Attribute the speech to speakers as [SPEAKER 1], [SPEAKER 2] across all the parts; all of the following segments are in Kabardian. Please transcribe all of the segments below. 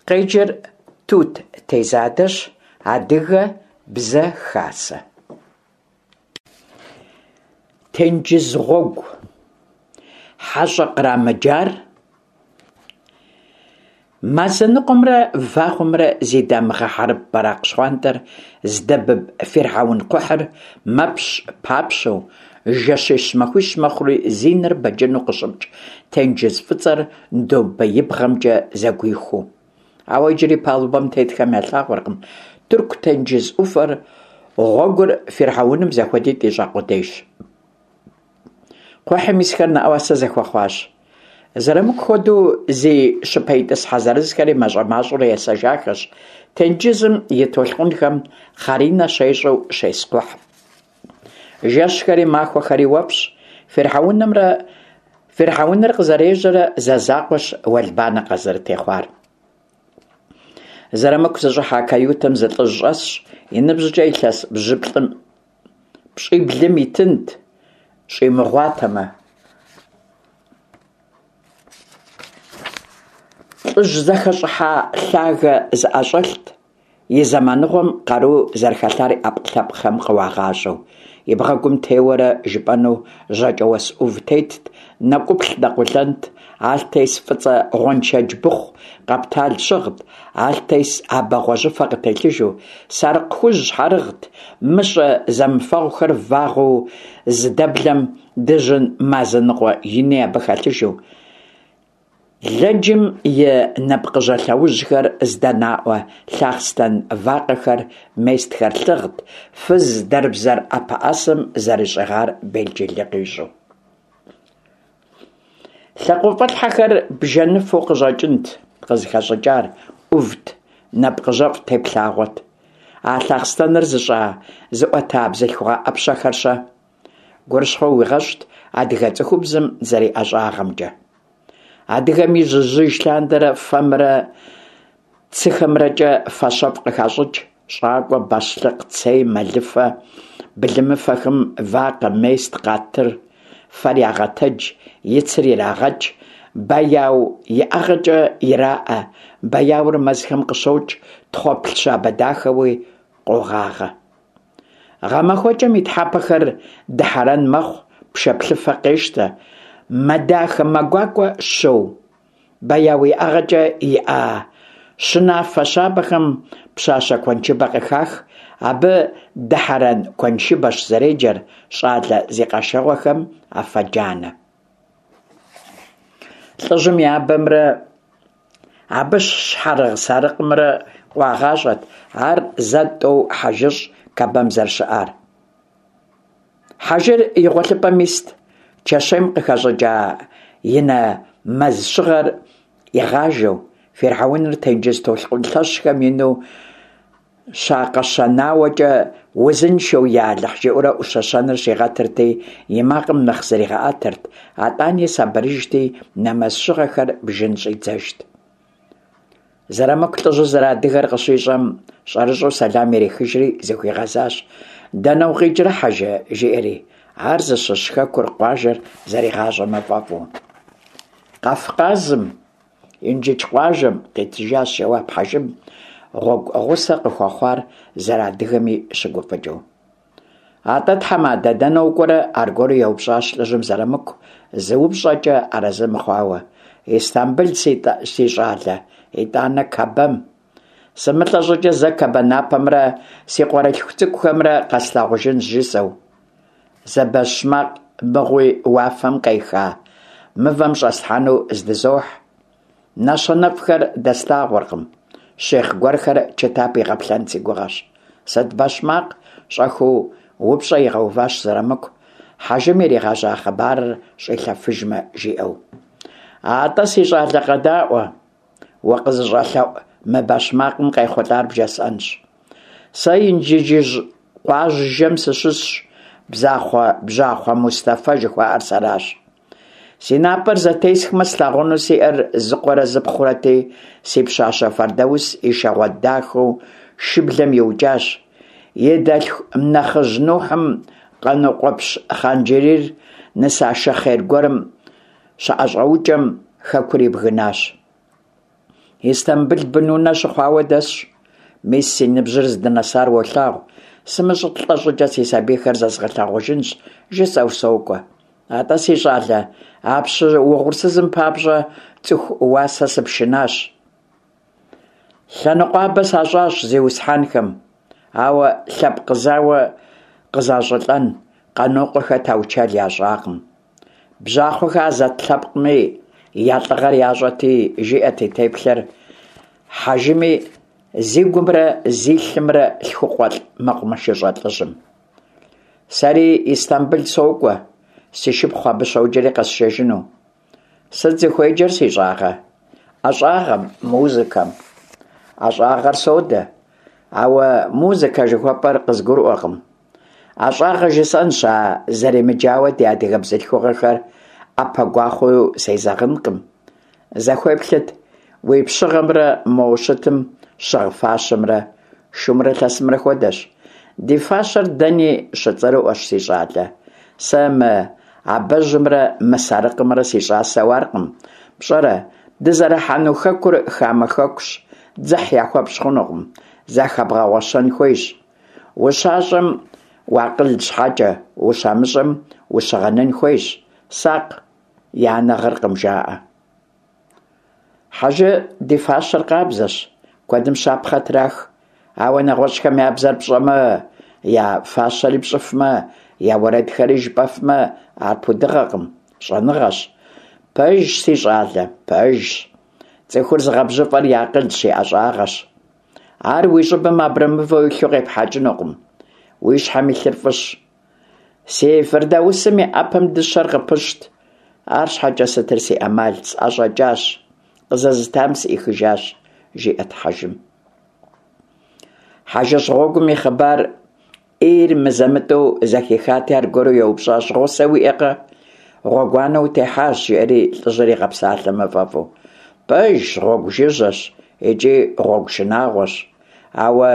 [SPEAKER 1] Къеджэр Тут Тезадэщ, Адыгэ бзэ хасэ. Тенджыз гъуэгу. Хьэщӏэ кърамыджар. Мазэ ныкъуэмрэ вагъуэмрэ зи дамыгъэ хьэрып бэракъ щхъуантӏэр здэбыб фирхьэун кхъухьыр мэпщ-папщэу, жэщищ-махуищ мэхъури зи нэр бэджыну къыщыпкӏ тенджыз фӏыцӏэр домбеибгъэмкӏэ зэгуихуу. Ауэ иджыри палубэм тетхэм ялъагъуркъым Тырку тенджыз ӏуфэр, гъуэгур фирхьэуным зэхуэдитӏ ищӏа къудейщ. Кхъухьым исхэр нэӏуасэ зэхуэхъуащ. Зырамыку хуэдэу зи щыпэ итӏысхьэ зырызхэри мащӏэ-мащӏэурэ есэжахэщ тенджызым и толъкъунхэм хъаринэ щещӏэу щес кхъухьым. Жэщхэри махуэхэри уэфӏщ. Фирхьэунымрэ Фирхьэуныр къызэрежьэрэ зэ закъуэщ уэлбанэ къазэрытехъуар. Зырамыку зыщӏыхьа каютэм зы лӏыжь щӏэсщ, и ныбжькӏэ илъэс бжьыплӏым пщӏиблым итынт, щӏимыгъуатэмэ. Лӏыжь зэхэщӏыхьа лъагэ зыӏэщӏэлът, и зэманыгъуэм къару зэрыхэлъар и ӏэпкълъэпкъхэм къыуагъащӏэу. И бгъэгум теуэрэ жыпӏэну жьакӏэуэс ӏув тетт, нэкӏуплъ нэкъулэнт, алътес фӏыцӏэ гъуэншэдж быхъу къэптал щыгът, алътес абэ гъуэжьыфэ къытелъыжу, сарыкъ хужь щхьэрыгът, мыщӏэ зэмыфэгъухэр вагъуэу зыдэблэм дыжьын мазэ ныкъуэ ини абы хэлъыжу. Лэджым и нэпкъыжьэ лъэужьхэр здэнаӏуэ лъахъстэн вакъэхэр, местхэр лъыгът, фыз дэрбзэр ӏэпэӏэсэм зэрищӏыгъар белджылы къищӏу. Лъакъуэфӏэлъхьэхэр бжэныфэу къыщӏэкӏынт къызыхэщӏыкӏар, ӏувт, нэпкъыжьэфӏ теплъагъуэт. А лъахъстэныр зыщӏа, зыӏуэта бзылъхугъэ ӏэпщэхэр-щэ? Гурыщхъуэ уигъэщӏт адыгэ цӏыхубзым зэриӏэщӏагъэмкӏэ. Адыгэм ижь-ижьыж лъандэрэ фэмрэ цыхэмрэкӏэ фащэфӏ къыхащӏыкӏ, щӏакӏуэ, бащлъыкъ, цей, мэлыфэ, былымыфэхэм вакъэ, мест, къатыр, фэр ягъэтэдж, и цыр ирагъэкӏ, бэяу иӏэгъэкӏэ ираӏэ, бэяур мэзхэм къыщокӏ, тхъуэплъ щабэ дахэуи къогъагъэ. Гъэмахуэкӏэм и тхьэпэхэр дыхьэрэн мэхъу, пшэплъыфэ къещтэ, мэ дахэ мэ гуакӏуэ щоу. Бэяуиӏэгъэкӏэ иӏа щынафэ щабэхэм пщащэ куэншыбэ къыхах, абы дыхьэрэн куэншыбэщ зэреджэр, щӏалэ зи къэшэгъуэхэм афэ джанэ. Лӏыжьым и абэмрэ абы щхьэрыгъ сарыкъымрэ къуагъащӏэт ар зэ-тӏэу хьэжыщӏ Кэбэм зэрыщыӏар. Хьэжыр и гъуэлъыпӏэм ист, чэщейм къыхэщӏыкӏа и нэмэз щыгъэр игъажэу, фирхьэуныр тенджыз толъкъун лъэщхэм ину щакъэщэнауэкӏэ узыншэу я Алыхь жиӏэурэ ӏущэщэныр щигъэтырти, и макъым нэхъ зригъэӏэтырт, атӏани сабырыжти, нэмэз щыгъэхэр бжын щӏидзэжт. Зырамыку лӏыжьыр зэрыадыгэр къыщищӏэм, щӏэрыщӏэу сэлам ирихыжри зыхуигъэзащ: Дэнэ укъикӏрэ, хьэжы? жиӏэри, ар зыщыщ хэкур, къуажэр зэригъащӏэмэ фӏэфӏу. Къэфкъазым, Инжыдж къуажэм, къитыжащ жэуап хьэжым, гъуэгу гъусэ къыхуэхъуар зэрыадыгэми щыгуфӏыкӏыу. Атӏэ, тхьэмадэ, дэнэ укӏуэрэ? аргуэру еупщӏащ лӏыжьым Зырамыку, зы упщӏэкӏэ арэзы мыхъуауэ. Истамбыл, си щӏалэ, итӏанэ Кэбэм. Сымылӏэ щӏыкӏэ зэ Кэбэ напэмрэ си къуэрылъху цӏыкӏухэмрэ къэслъагъужынщ, жысӏэу. Зы бэщмакъ мыгъуи уафэм къеха мывэм щӏэслъхьэну здызохь. Нэщэнэфӏхэр дэслъагъуркъым. Щихъ гуэрхэр чытап игъэплъэн си гугъэщ. Сыт бэщмакъ? щӏэхыу упщӏэ игъэуващ Зырамыку, хьэжым иригъэжьа хъыбарыр щӏилъэфыжмэ, жиӏэу. Атӏэ, си щӏалэ, къэдаӏуэ, укъызыщӏэлъэӏу мы бэщмакъым къехъулӏар бжесӏэнщ. Сэ Инжыджыжь къуажэм сыщыщщ, Бзахъуэ Бжьахъуэ Мустэфэ жыхуаӏэр сэращ. Си напӏэр зэтесхмэ, слъагъуну сиӏэр зы къуэрэ зы пхъурэти, си пщащэ Фэрдаус и шэгъуэ дахэу шыблэм иукӏащ. И дэлъху нэхъыжь Нухьым Къанокъуэпщ Хъанджэрийр нысашэ хъер гуэрым щыӏэщӏэукӏэм хэкур ибгынащ. Истамбыл бынунэ щыхъуауэ дэсщ. Мис си ныбжьыр здынэсар уолъагъу, сымыщӏылӏэ щӏыкӏэ си сабийхэр зэзгъэлъагъужынщ, жысӏэу сокӏуэ. Атӏэ, си щӏалэ, а пщы угъурсызым папщӏэ цӏыху уасэ сыпшынащ. Лъэныкъуабэ сащӏащ зиусхьэнхэм, ауэ лъэпкъ зауэ къызащӏылӏэн Къанокъуэхэ таучэл ящӏакъым. Бжьахъуэхэ Азэт лъэпкъми я лӏыгъэр ящӏэти, жиӏэт и теплъэр Хьэжыми зи гумрэ зи лъымрэ лъхукъуэлӏ мэкъумэшыщӏэ лӏыжьым. Сэри Истамбыл сокӏуэ, си шыпхъу абы щоджэри къэсшэжыну. Сыт зыхуеджэр, си щӏагъэ? ӏэщӏагъэм, музыкэм. ӏэщӏагъэр содэ, ауэ музыкэ жыхуэпӏэр къызгурыӏуэкъым. ӏэщӏагъэ жысӏэнщ, а зэремыджауэ ди адыгэ бзылъхугъэхэр ӏэпэ гуахъуэу сезэгъынкъым. Зэхуеплъыт уи пщыгъэмрэ мо щытым щыгъ фащэмрэ, шумрэ лъэсымрэ хуэдэщ. Ди фащэр дэни щыцӏэрыӏуэщ, си щӏалэ. Сэ мы абэжьымрэ мы сарыкъымрэ си щӏасэу аркъым. Пщӏэрэ, дызэрыхьэну хэкур хамэ хэкущ, дзыхь яхуэпщӏ хъунукъым, захэбгъэгъуэщэн хуейщ. Ущащӏэм уакъыл щхьэкӏэ, ущамыщӏэм ущыгъэнын хуейщ. Сакъ, я анэ гъыркъым, жаӏэ. Хьэжы, ди фащэр къабзэщ, куэдым щапхъэ трах. Ауэ нэгъуэщӏхэм я бзэр пщӏэмэ, я фащэри пщӏыфмэ, я уэрэдхэри жыпӏэфмэ, ар пудыгъэкъым, щӏэныгъэщ. Пэжщ, си щӏалэ, пэжщ. Цӏыхур зыгъэбжьыфӏэр и акъылщ, и ӏэщӏагъэщ. Ар уи щӏыбым абрэмывэу илъу къепхьэкӏынукъым. Уи щхьэм илъыр фӏыщ. Си Фырдаусым и ӏэпэм дыщэр къыпыщт. Арщхьэкӏэ сытыр си ӏэмал, сӏэщӏэкӏащ, къызэзытам сӏихыжащ, жиӏэт Хьэжым. Хьэжыщӏ гъуэгум и хъыбар ӏейр мызэ-мытӏэу зэхихати, аргуэру еупщӏащ, гъусэ уиӏэкъэ? Гъуэгуанэ утехьащ, жиӏэри лӏыжьыр игъэпсалъэмэ фӏэфӏу. Пэжщ, гъуэгу жыжьэщ икӏи гъуэгу шынагъуэщ. Ауэ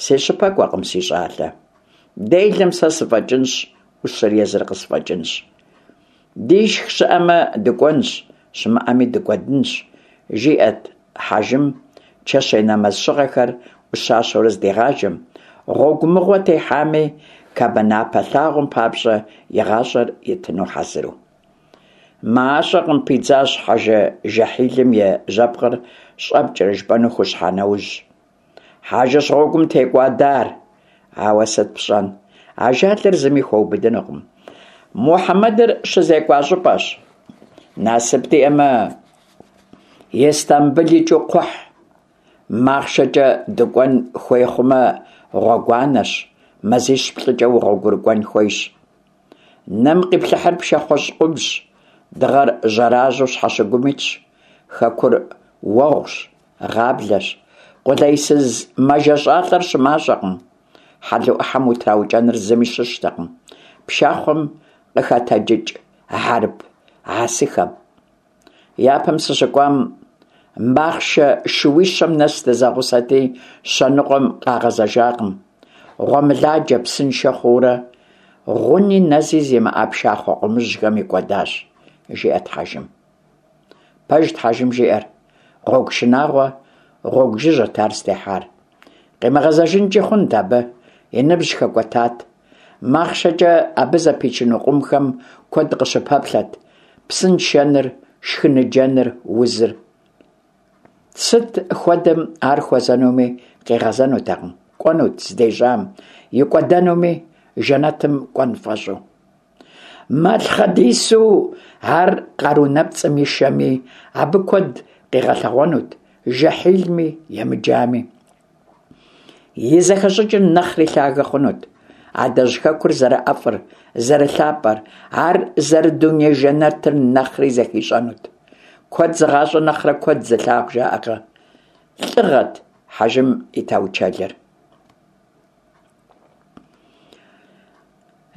[SPEAKER 1] си щыпэкӏуэкъым, си щӏалэ. Делэм сэ сыфӏэкӏынщ, ӏущыр езыр къысфӏэкӏынщ. Дишх щыӏэмэ, дыкӏуэнщ, щымыӏэми дыкӏуэдынщ, жиӏэт Хьэжым чэщей нэмэз щыгъэхэр ӏущащэурэ здигъажэм, гъуэгу мыгъуэ техьами, Кабэ напэ лъагъуэм папщӏэ и гъащӏэр итыну хьэзыру. Мащӏэкъым, пидзащ Хьэжы жэхьилым и жьэпкъыр щӏэпкӏэрэ жыпӏэну хущхьа нэужь. Хьэжыщӏ гъуэгум текӏуадар. Ауэ сыт пщӏэн, ажалыр зыми хуэубыдынукъым. Мухьэмэдыр щызекӏуа щӏыпӏэщ. Насып диӏэмэ, Истамбыл икӏыу кхъухь, махъшэкӏэ дыкӏуэн хуей хъумэ, гъуэгуанэщ, мазищ-плӏыкӏэ угъуэгурыкӏуэн хуейщ. Нэм къиплъыхьыр пшахъуэщӏ къумщ, дыгъэр жьэражьэу щхьэщыгум итщ, хэкур уэгъущ, гъаблэщ. Къулейсыз мэжэщӏалӏэр щымащӏэкъым. Хьэлу ӏыхьэм утраукӏэныр зыми щыщтэкъым. Пшахъуэм къыхэтэджыкӏ хьэрып хьэсыхэм. Япэм сыщыкӏуам махъшэ шууищэм нэс дызэгъусэти, щэ ныкъуэм къагъэзэжакъым. Гъуэмыладжэ псыншэ хъуурэ, гъуни нэзи зимыӏэ пшахъуэ къумыжьхэм икӏуэдащ, жиӏэт Хьэжым. Пэжт Хьэжым жиӏэр, гъуэгу шынагъуэ, гъуэгу жыжьэт ар зытехьар. Къимыгъэзэжынкӏи хъунт абы, и ныбжь хэкӏуэтат. Махъшэкӏэ абы зэпичыну къумхэм куэд къыщыпэплъэт, псыншэныр, шхыныджэныр, узыр. Сыт хуэдэм ар хуэзэнуми къигъэзэнутэкъым, кӏуэнут здежьам, икӏуэдэнуми, жэнэтым кӏуэн фӏэщӏу. Малъхъэдису ар къару нэпцӏым ишэми, абы куэд къигъэлъэгъуэнут, жэхьилми емыджами. И зэхэщӏыкӏыр нэхъри лъагэ хъунут. Адэжь хэкур зэрыӏэфӏыр, зэрылъапӏэр, ар зэрыдуней жэнэтыр нэхъри зэхищӏэнут. Куэд зыгъащӏэ нэхърэ куэд зылъагъу жаӏэкъэ? Лӏыгъэт Хьэжым и таучэлыр.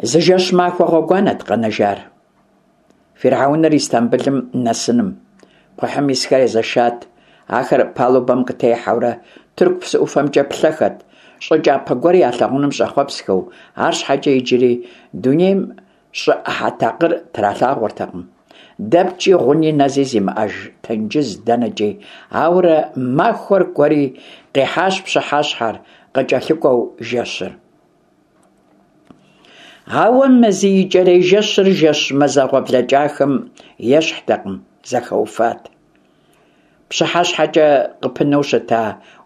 [SPEAKER 1] Зы жэщ-махуэ гъуэгуанэт къэнэжар. Фирхьэуныр Истамбылым нэсыным. Кхъухьым исхэр езэшат, ахэр палубэм къытехьэурэ Тырку псы ӏуфэмкӏэ плъэхэт, щӏы кӏапэ гуэр ялъагъуным щӏэхъуэпсхэу, арщхьэкӏэ иджыри дунейм щӏы ӏыхьэ такъыр тралъагъуэртэкъым. Дэпкӏи гъуни нэзи зимыӏэж тенджыз дэнэкӏи. Ауэрэ махуэр кӏуэри, къихьащ пщыхьэщхьэр, къыкӏэлъыкӏуэу жэщыр. Ауэ мы зи икӏэрей жэщыр жэщ мазэгъуэ блэкӏахэм ещхьтэкъым, зэхэуфат. Пщыхьэщхьэкӏэ къыпынэу щыта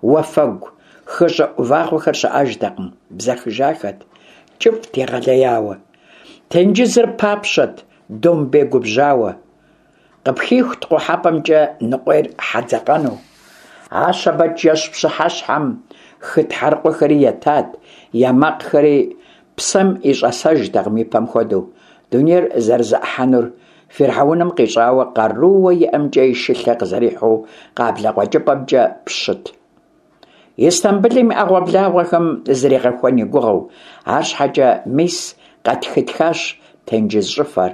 [SPEAKER 1] уафэгу, хы щӏыӏу вагъуэхэр щыӏэжтэкъым, бзэхыжахэт. Кӏыфӏт егъэлеяуэ. Тенджызыр папщэт, домбей губжьауэ. Къыпхихут къухьэпӏэмкӏэ ныкъуейр хьэ дзэкъэну. А щэбэт жэщ пщыхьэщхьэм хы тхьэрыкъуэхэри етат, я макъхэри псэм и щӏэсэжтэкъым ипэм хуэдэу. Дунейр зэрызэӏыхьэнур Фирхьэуным къищӏауэ къарууэ иӏэмкӏэ и шылъэ къызэрихьу къаблэ къуэкӏыпӏэмкӏэ пщыт. Истамбылым и ӏэгъуэблагъуэхэм зригъэхуэн и гугъэу, арщхьэкӏэ мис къэтхытхащ тенджыз щӏыфэр.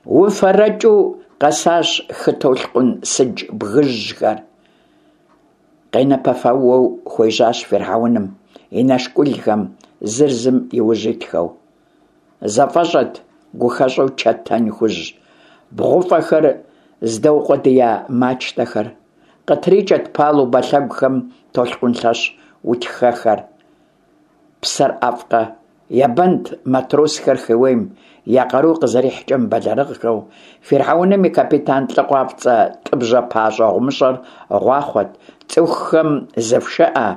[SPEAKER 1] Уфэрэкӏыу къэсащ хы толъкъун сыдж бгыжьхэр. Къенэпэфэуэу хуежьащ Фирхьэуным и нэшкӏулхэм зыр зым и ужь итхэу. Зэфӏэщӏэт гухэщӏу чэтэн хужь бгъуфӏэхэр здэукъуэдия мачтэхэр. Къытрикӏэт палубэ лъэгухэм толъкъун лъэщ утхэхэр. Псэр ӏэфӏкъэ? Ебэнт матросхэр хыуейм, я къару къызэрихькӏэ мыбэлэрыгъхэу. Фирхьэуным и капитан лӏы къуапцӏэ тӏыбжьэ пащӏэ гъумыщӏэр гъуахъуэт: Цӏыхухэм зыфшыӏэ,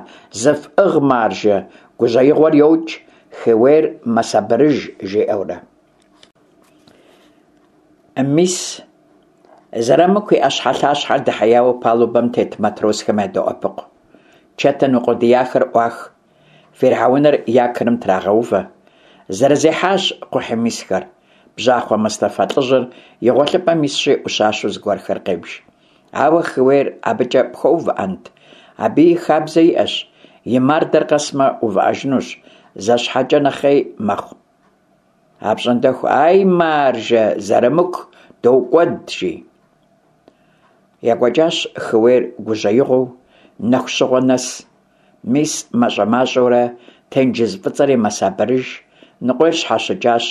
[SPEAKER 1] зыфӏыгъ, маржэ, гужьеигъуэр йокӏ, хыуейр мэсабырыж, жиӏэурэ. Мис, Зэрамыку и ӏэщхьэлъащхьэр дэхьеяуэ палубэм тет матросхэм ядоӏэпыкъу. Чэтэн укъуэдияхэр ӏуах, фирхьэуныр якорым трагъэувэ. Зэрызехьащ кхъухьым исхэр. Бжьахъуэ Мустэфа лӏыжьыр и гъуэлъыпӏэм исщи, ӏущащэу зыгуэрхэр къебж. Ауэ хыуейр абыкӏэ пхуэувыӏэнт? Абыи хабзэ иӏэщ, и мардэр къэсмэ, увыӏэжынущ, зэ щхьэкӏэ нэхъей мэхъу. Апщӏондэху, ай маржэ, Зэрамыку, докӏуэд, жи. Екӏуэкӏащ хыуейр гужьеигъуэу, нэху щыгъуэ нэс. Мис мащӏэ-мащӏэурэ тенджыз фӏыцӏэри мэсабырыж, ныкъуейр щхьэщыкӏащ,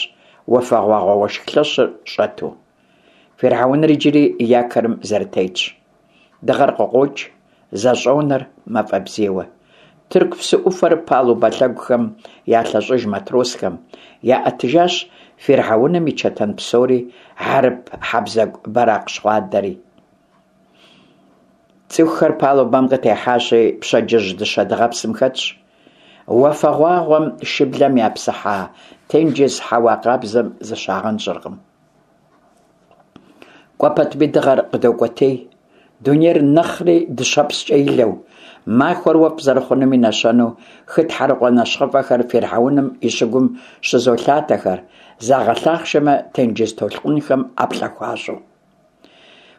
[SPEAKER 1] уафэгъуагъуэ уэшх лъэщыр щӏэту. Фирхьэуныр иджыри якорым зэрытетщ. Дыгъэр къыкъуокӏ, зэщӏонэр мафӏэ бзийуэ. Тырку псы ӏуфэр палубэ лъэгухэм ялъэщӏыж матросхэм, яӏэтыжащ фирхьэуным и чэтэн псори, хьэрып хьэбзэгу бэракъ щхъуантӏэри. Цӏыхухэр палубэм къытехьащи, пщэдджыжь дыщэ дыгъэпсым хэтщ. Уафэгъуагъуэм шыблэм япсыхьа тенджыз хьэуа къабзэм зыщагъэнщӏыркъым. Кӏуэ пэтми дыгъэр къыдокӏуэтей, дунейр нэхъри дыщэпскӏэ илэу, махуэр уэфӏ зэрыхъунум и нэщэнэу хы тхьэрыкъуэ нэщхъыфӏэхэр фирхьэуным и щыгум щызолъатэхэр, загъэлъахъшэмэ, тенджыз толъкъунхэм ӏэплӏэ хуащӏу.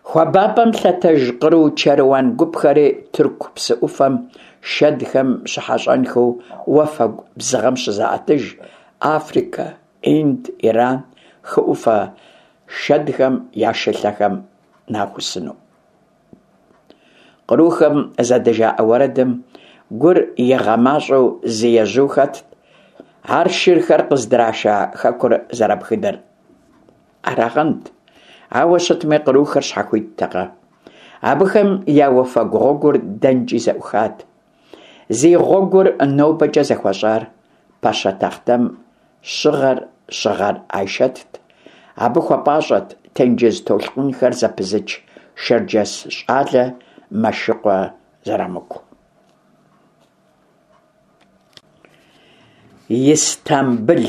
[SPEAKER 1] Хуабапӏэм лъэтэж къру чэруан гупхэри Тырку псы ӏуфэм шэдхэм щыхьэщӏэнхэу уафэгу бзыгъэм щызаӏэтыж, Африкэ, Инд, Иран хы ӏуфэ шэдхэм я шылъэхэм нахусыну. Кърухэм зэдыжаӏэ уэрэдым гур игъэмащӏэу зы ежьу хэтт, ар шырхэр къыздраша хэкур зэрабгынэр арагъэнт. Ауэ щытми, кърухэр щхьэхуиттэкъэ? Абыхэм я уафэгу гъуэгур дэнкӏи зэӏухат. Зи гъуэгур нобэкӏэ зэхуэщӏар пащэ тахътэм щыгъэр щыгъэр Айшэтт. Абы хуэпӏащӏэт тенджыз толъкъунхэр зэпызыч шэрджэс щӏалэ Мэшыкъуэ Зэрамыку. Истамбыл.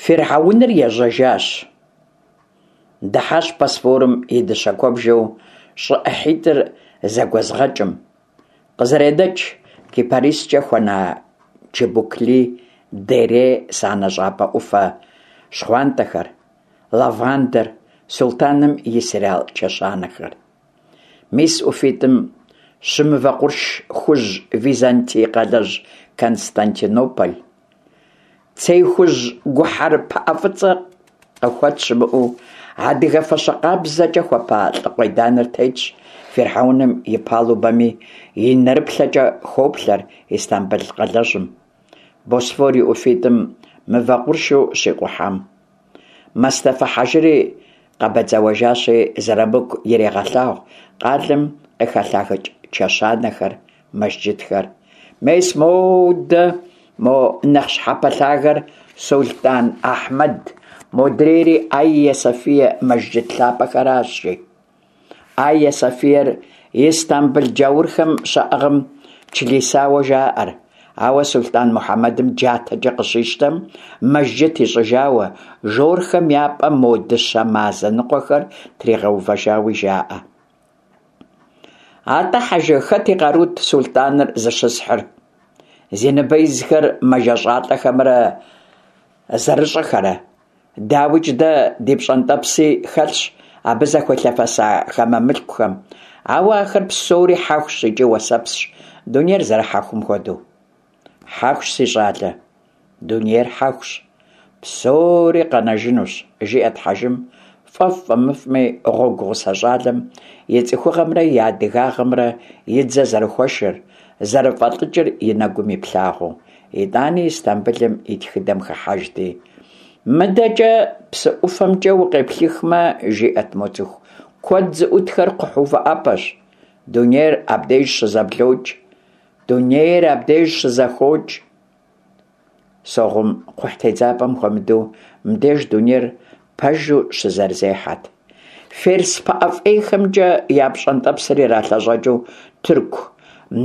[SPEAKER 1] Фирхьэуныр ежьэжащ. Дыхьащ Босфорым и дыщэ куэбжэу щӏы ӏыхьитӏыр зэгуэзыгъэкӏым. Къызэренэкӏ кипарискӏэ хуэна Чыбукли Дере санэ щӏапӏэ ӏуфэ щхъуантӏэхэр, лавандэр, султаным и серал чэщанэхэр. Мис ӏуфитӏым щымывэ къурш хужь Византий къалэжь Константинополь. Цей хужь гухьэр пыӏэ фӏыцӏэ къыхуэт щымыӏэу, адыгэ фащэ къабзэкӏэ хуэпа лӏы къуеданыр тетщ фирхьэуным и палубэми, и нэрыплъэкӏэ хоплъэр Истамбыл къалэжьым, Босфор и ӏуфитӏым мывэ къуршу щикъухьам. Мэстэфэ хьэжыри къэбэдзэуэжащи, Зырамыку ирегъэлъагъу къалэм къыхэлъагэкӏ чэщанэхэр, мэжджытхэр. Мес модэ мо нэхъ щхьэпэлъагэр Сулътӏан Ахьмэд, модрейри Айя Софие мэжджыт лъапӏэхэращ, жи. Айя Софиер Истамбыл джаурхэм щаӏыгъым члисауэ жаӏэр, ауэ сулътӏан Мухьэмэдым джатэкӏэ къыщищтэм мэжджыт ищӏыжауэ, жорхэм я пӏэм мо дыщэ мазэ ныкъуэхэр тригъэувэжауи жаӏэ. Атӏэ, хьэжы, хэт и къарут сулътӏаныр зыщысхьыр? Зи ныбэ изхэр мэжэщӏалӏэхэмрэ зэрыщӏэхэрэ? Дауикӏ, дэ ди пщӏэнтӏэпси хэлъщ абы зэхуелъэфэса хамэ мылъкухэм, ауэ ахэр псори хьэхущ икӏи уэсэпсщ, дунейр зэрыхьэхум хуэдэу. Хьэхущ, си щӏалэ, дунейр хьэхущ, псори къэнэжынущ, жиӏэт хьэжым, фӏэфӏ-фӏэмыфӏми, гъуэгу гъусэ щӏалэм и цӏыхугъэмрэ и адыгагъэмрэ и дзэ зэрыхуэшыр, зэрыфӏэлӏыкӏыр и нэгум иплъагъуэу. Итӏани Истамбылым и тхыдэм хыхьэжти. Мыдэкӏэ псы ӏуфэмкӏэ укъеплъыхмэ, жиӏэт мо цӏыху куэд зыӏутхэр кхъухь увыӏэпӏэщ. Дунейр абдеж щызэблокӏ. Дунейр абдеж щызэхокӏ. Согъум кхъухь тедзапӏэм хуэмыдэу мыбдеж дунейр пэжу щызэрызехьэт. Ферс пыӏэ фӏейхэмкӏэ я пщӏэнтӏэпсыр иралъэщӏэкӏыу тырку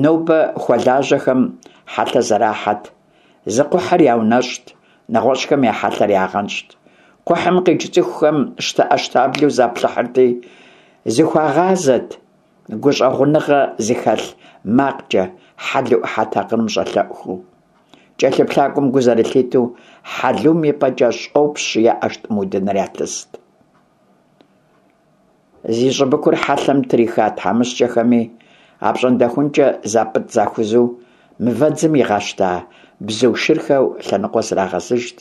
[SPEAKER 1] нобэ хуэлажьэхэм хьэлъэ зэрахьэт. Зы кхъухьыр яунэщӏт, нэгъуэщӏхэм я хьэлъэр ягъэнщӏт. Кхъухьым къикӏ цӏыхухэм щтэӏэщтаблэу заплъыхьырти, зыхуагъазэт гущӏэгъуныгъэ зыхэлъ макъкӏэ хьэлу ӏыхьэ такъырым щӏэлъэӏухэу. Кӏэлъыплъакӏуэм гу зэрылъитэу, хьэлум и пӏэкӏэ щӏопщ е ӏэштӏым удыныр ялъыст. Зи щӏыбыкур хьэлъэм триха тхьэмыщкӏэхэми, апщӏондэхункӏэ запӏытӏ-захузу мывэдзым игъэщта бзу шырхэу лъэныкъуэ зрагъэзыжт.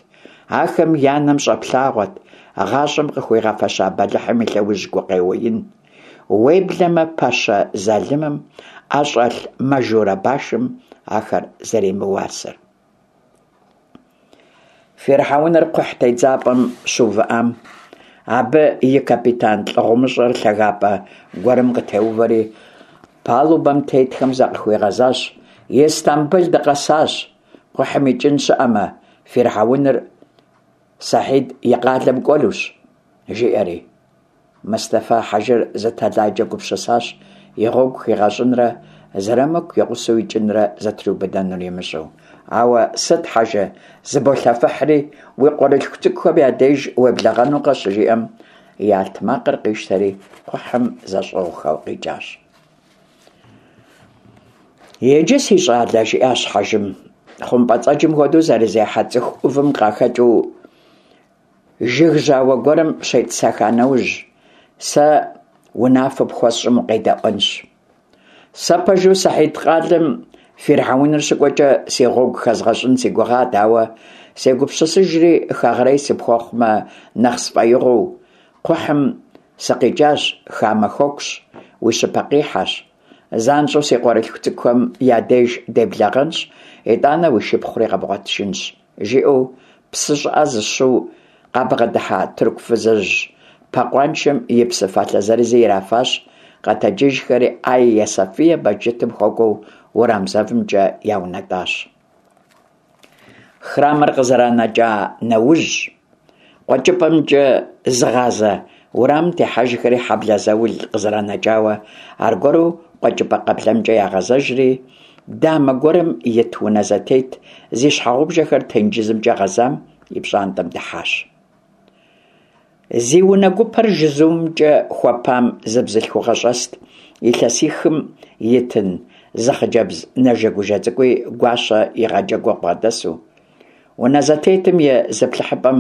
[SPEAKER 1] Ахэм я нэм щӏэплъагъуэт гъащӏэм къыхуигъэфэща бэлыхьым и лъэужь гукъеуэ ин. Уеблэмэ пэщэ залымым ӏэщӏэлъ мажурэ башым ахэр зэримыуасэр. Фирхьэуныр кхъухь тедзапӏэм щыувыӏам, абы и капитан лӏы гъумыщӏэр лъагапӏэ гуэрым къытеувэри, палубэм тетхэм закъыхуигъэзащ: Истамбыл дыкъэсащ, кхъухьым икӏын щыӏэмэ, фирхьэуныр Сэхьид и къалэм кӏуэнущ, жиӏэри. Мэстэфэ хьэжыр зы тэлайкӏэ гупсысащ и гъуэгу хигъэщӏынрэ Зырамыку и гъусэу икӏынрэ зэтриубыдэнур имыщӏэу. Ауэ сыт, хьэжы, зыболъэфыхьри, уи къуэрылъху цӏыкӏухэм я деж уеблэгъэнукъэ, щыжиӏэм, и алътмакъыр къищтэри, кхъухьым зэщӏыгъухэу къикӏащ. Иджы, си щӏалэ, жиӏащ хьэжым, хъумпӏэцӏэджым хуэдэу зэрызехьэ цӏыху ӏувым къахэкӏыу Жыг жьауэ гуэрым щетӏысэха нэужь, сэ унафэ пхуэсщӏым укъедэӏуэнщ. Сэ пэжу Сэхьид къалэм фирхьэуныр щыкӏуэкӏэ си гъуэгу хэзгъэщӏын си гугъат, ауэ сегупсысыжри хэгърей сыпхуэхъумэ нэхъ сфӏэигъуэу, кхъухьым сыкъикӏащ, хамэ хэкущ, уи щыпэкъихьэщ. Занщӏэу си къуэрылъху цӏыкӏухэм я деж деблэгъэнщ, итӏанэ уи шыпхъури къэбгъуэтыжынщ. Жиӏэу псы щӏыӏэ зыщэу къабгъэдыхьа тырку фызыжь пэкъуаншэм и псы фалъэ зырызи ирафащ, къэтэджыжхэри Айя Софие мэжджытым хуэкӏуэу уэрам зэвымкӏэ яунэтӏащ. Храмыр къызэранэкӏа нэужь, къуэкӏыпӏэмкӏэ зыгъазэ уэрамым техьэжхэри хьэблэ заул къызэранэкӏауэ, аргуэру къуэкӏыпӏэ къыблэмкӏэ ягъэзэжри, дамэ гуэрым ит унэ зэтет зи щхьэгъубжэхэр тенджызымкӏэ гъэзам и пщӏантӏэм дыхьащ. Зи унэ гупэр жызумымкӏэ хуэпам зы бзылъхугъэ щӏэст, илъэсихым итын зы хъыджэбз нэжэгужэ цӏыкӏуи гуащэ игъэджэгуу бгъэдэсу. Унэ зэтетым и зыплъыхьыпӏэм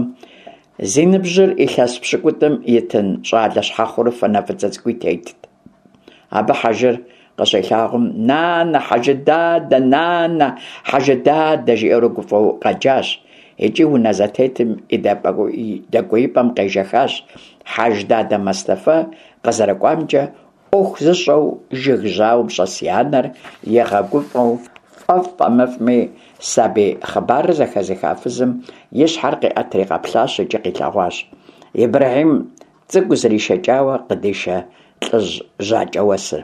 [SPEAKER 1] зи ныбжьыр илъэс пщыкӏутӏым итын щӏалэ щхьэхъурыфэ нэ фӏыцӏэ цӏыкӏуи тетт. Абы хьэжыр къыщилъагъум, Нанэ, хьэжы дадэ, нанэ, хьэжы дадэ, жиӏэурэ гуфӏэу къэджащ икӏи унэ зэтетым и дэкӏуеипӏэм къежэхащ Хьэждадэ Мэстэфэ къызэрыкӏуамкӏэ ӏуэху зыщӏэу жыг жьауэм щӏэс и анэр игъэгуфӏэу, фӏэфӏ-фӏэмыфӏми, сабий хъыбарыр зэхэзыха фызым и щхьэр къиӏэтри къэплъащ икӏи къилъэгъуащ. Ибрэхьим цӏыкӏу зришэкӏауэ къыдишэ лӏыжь жьакӏэуэсыр.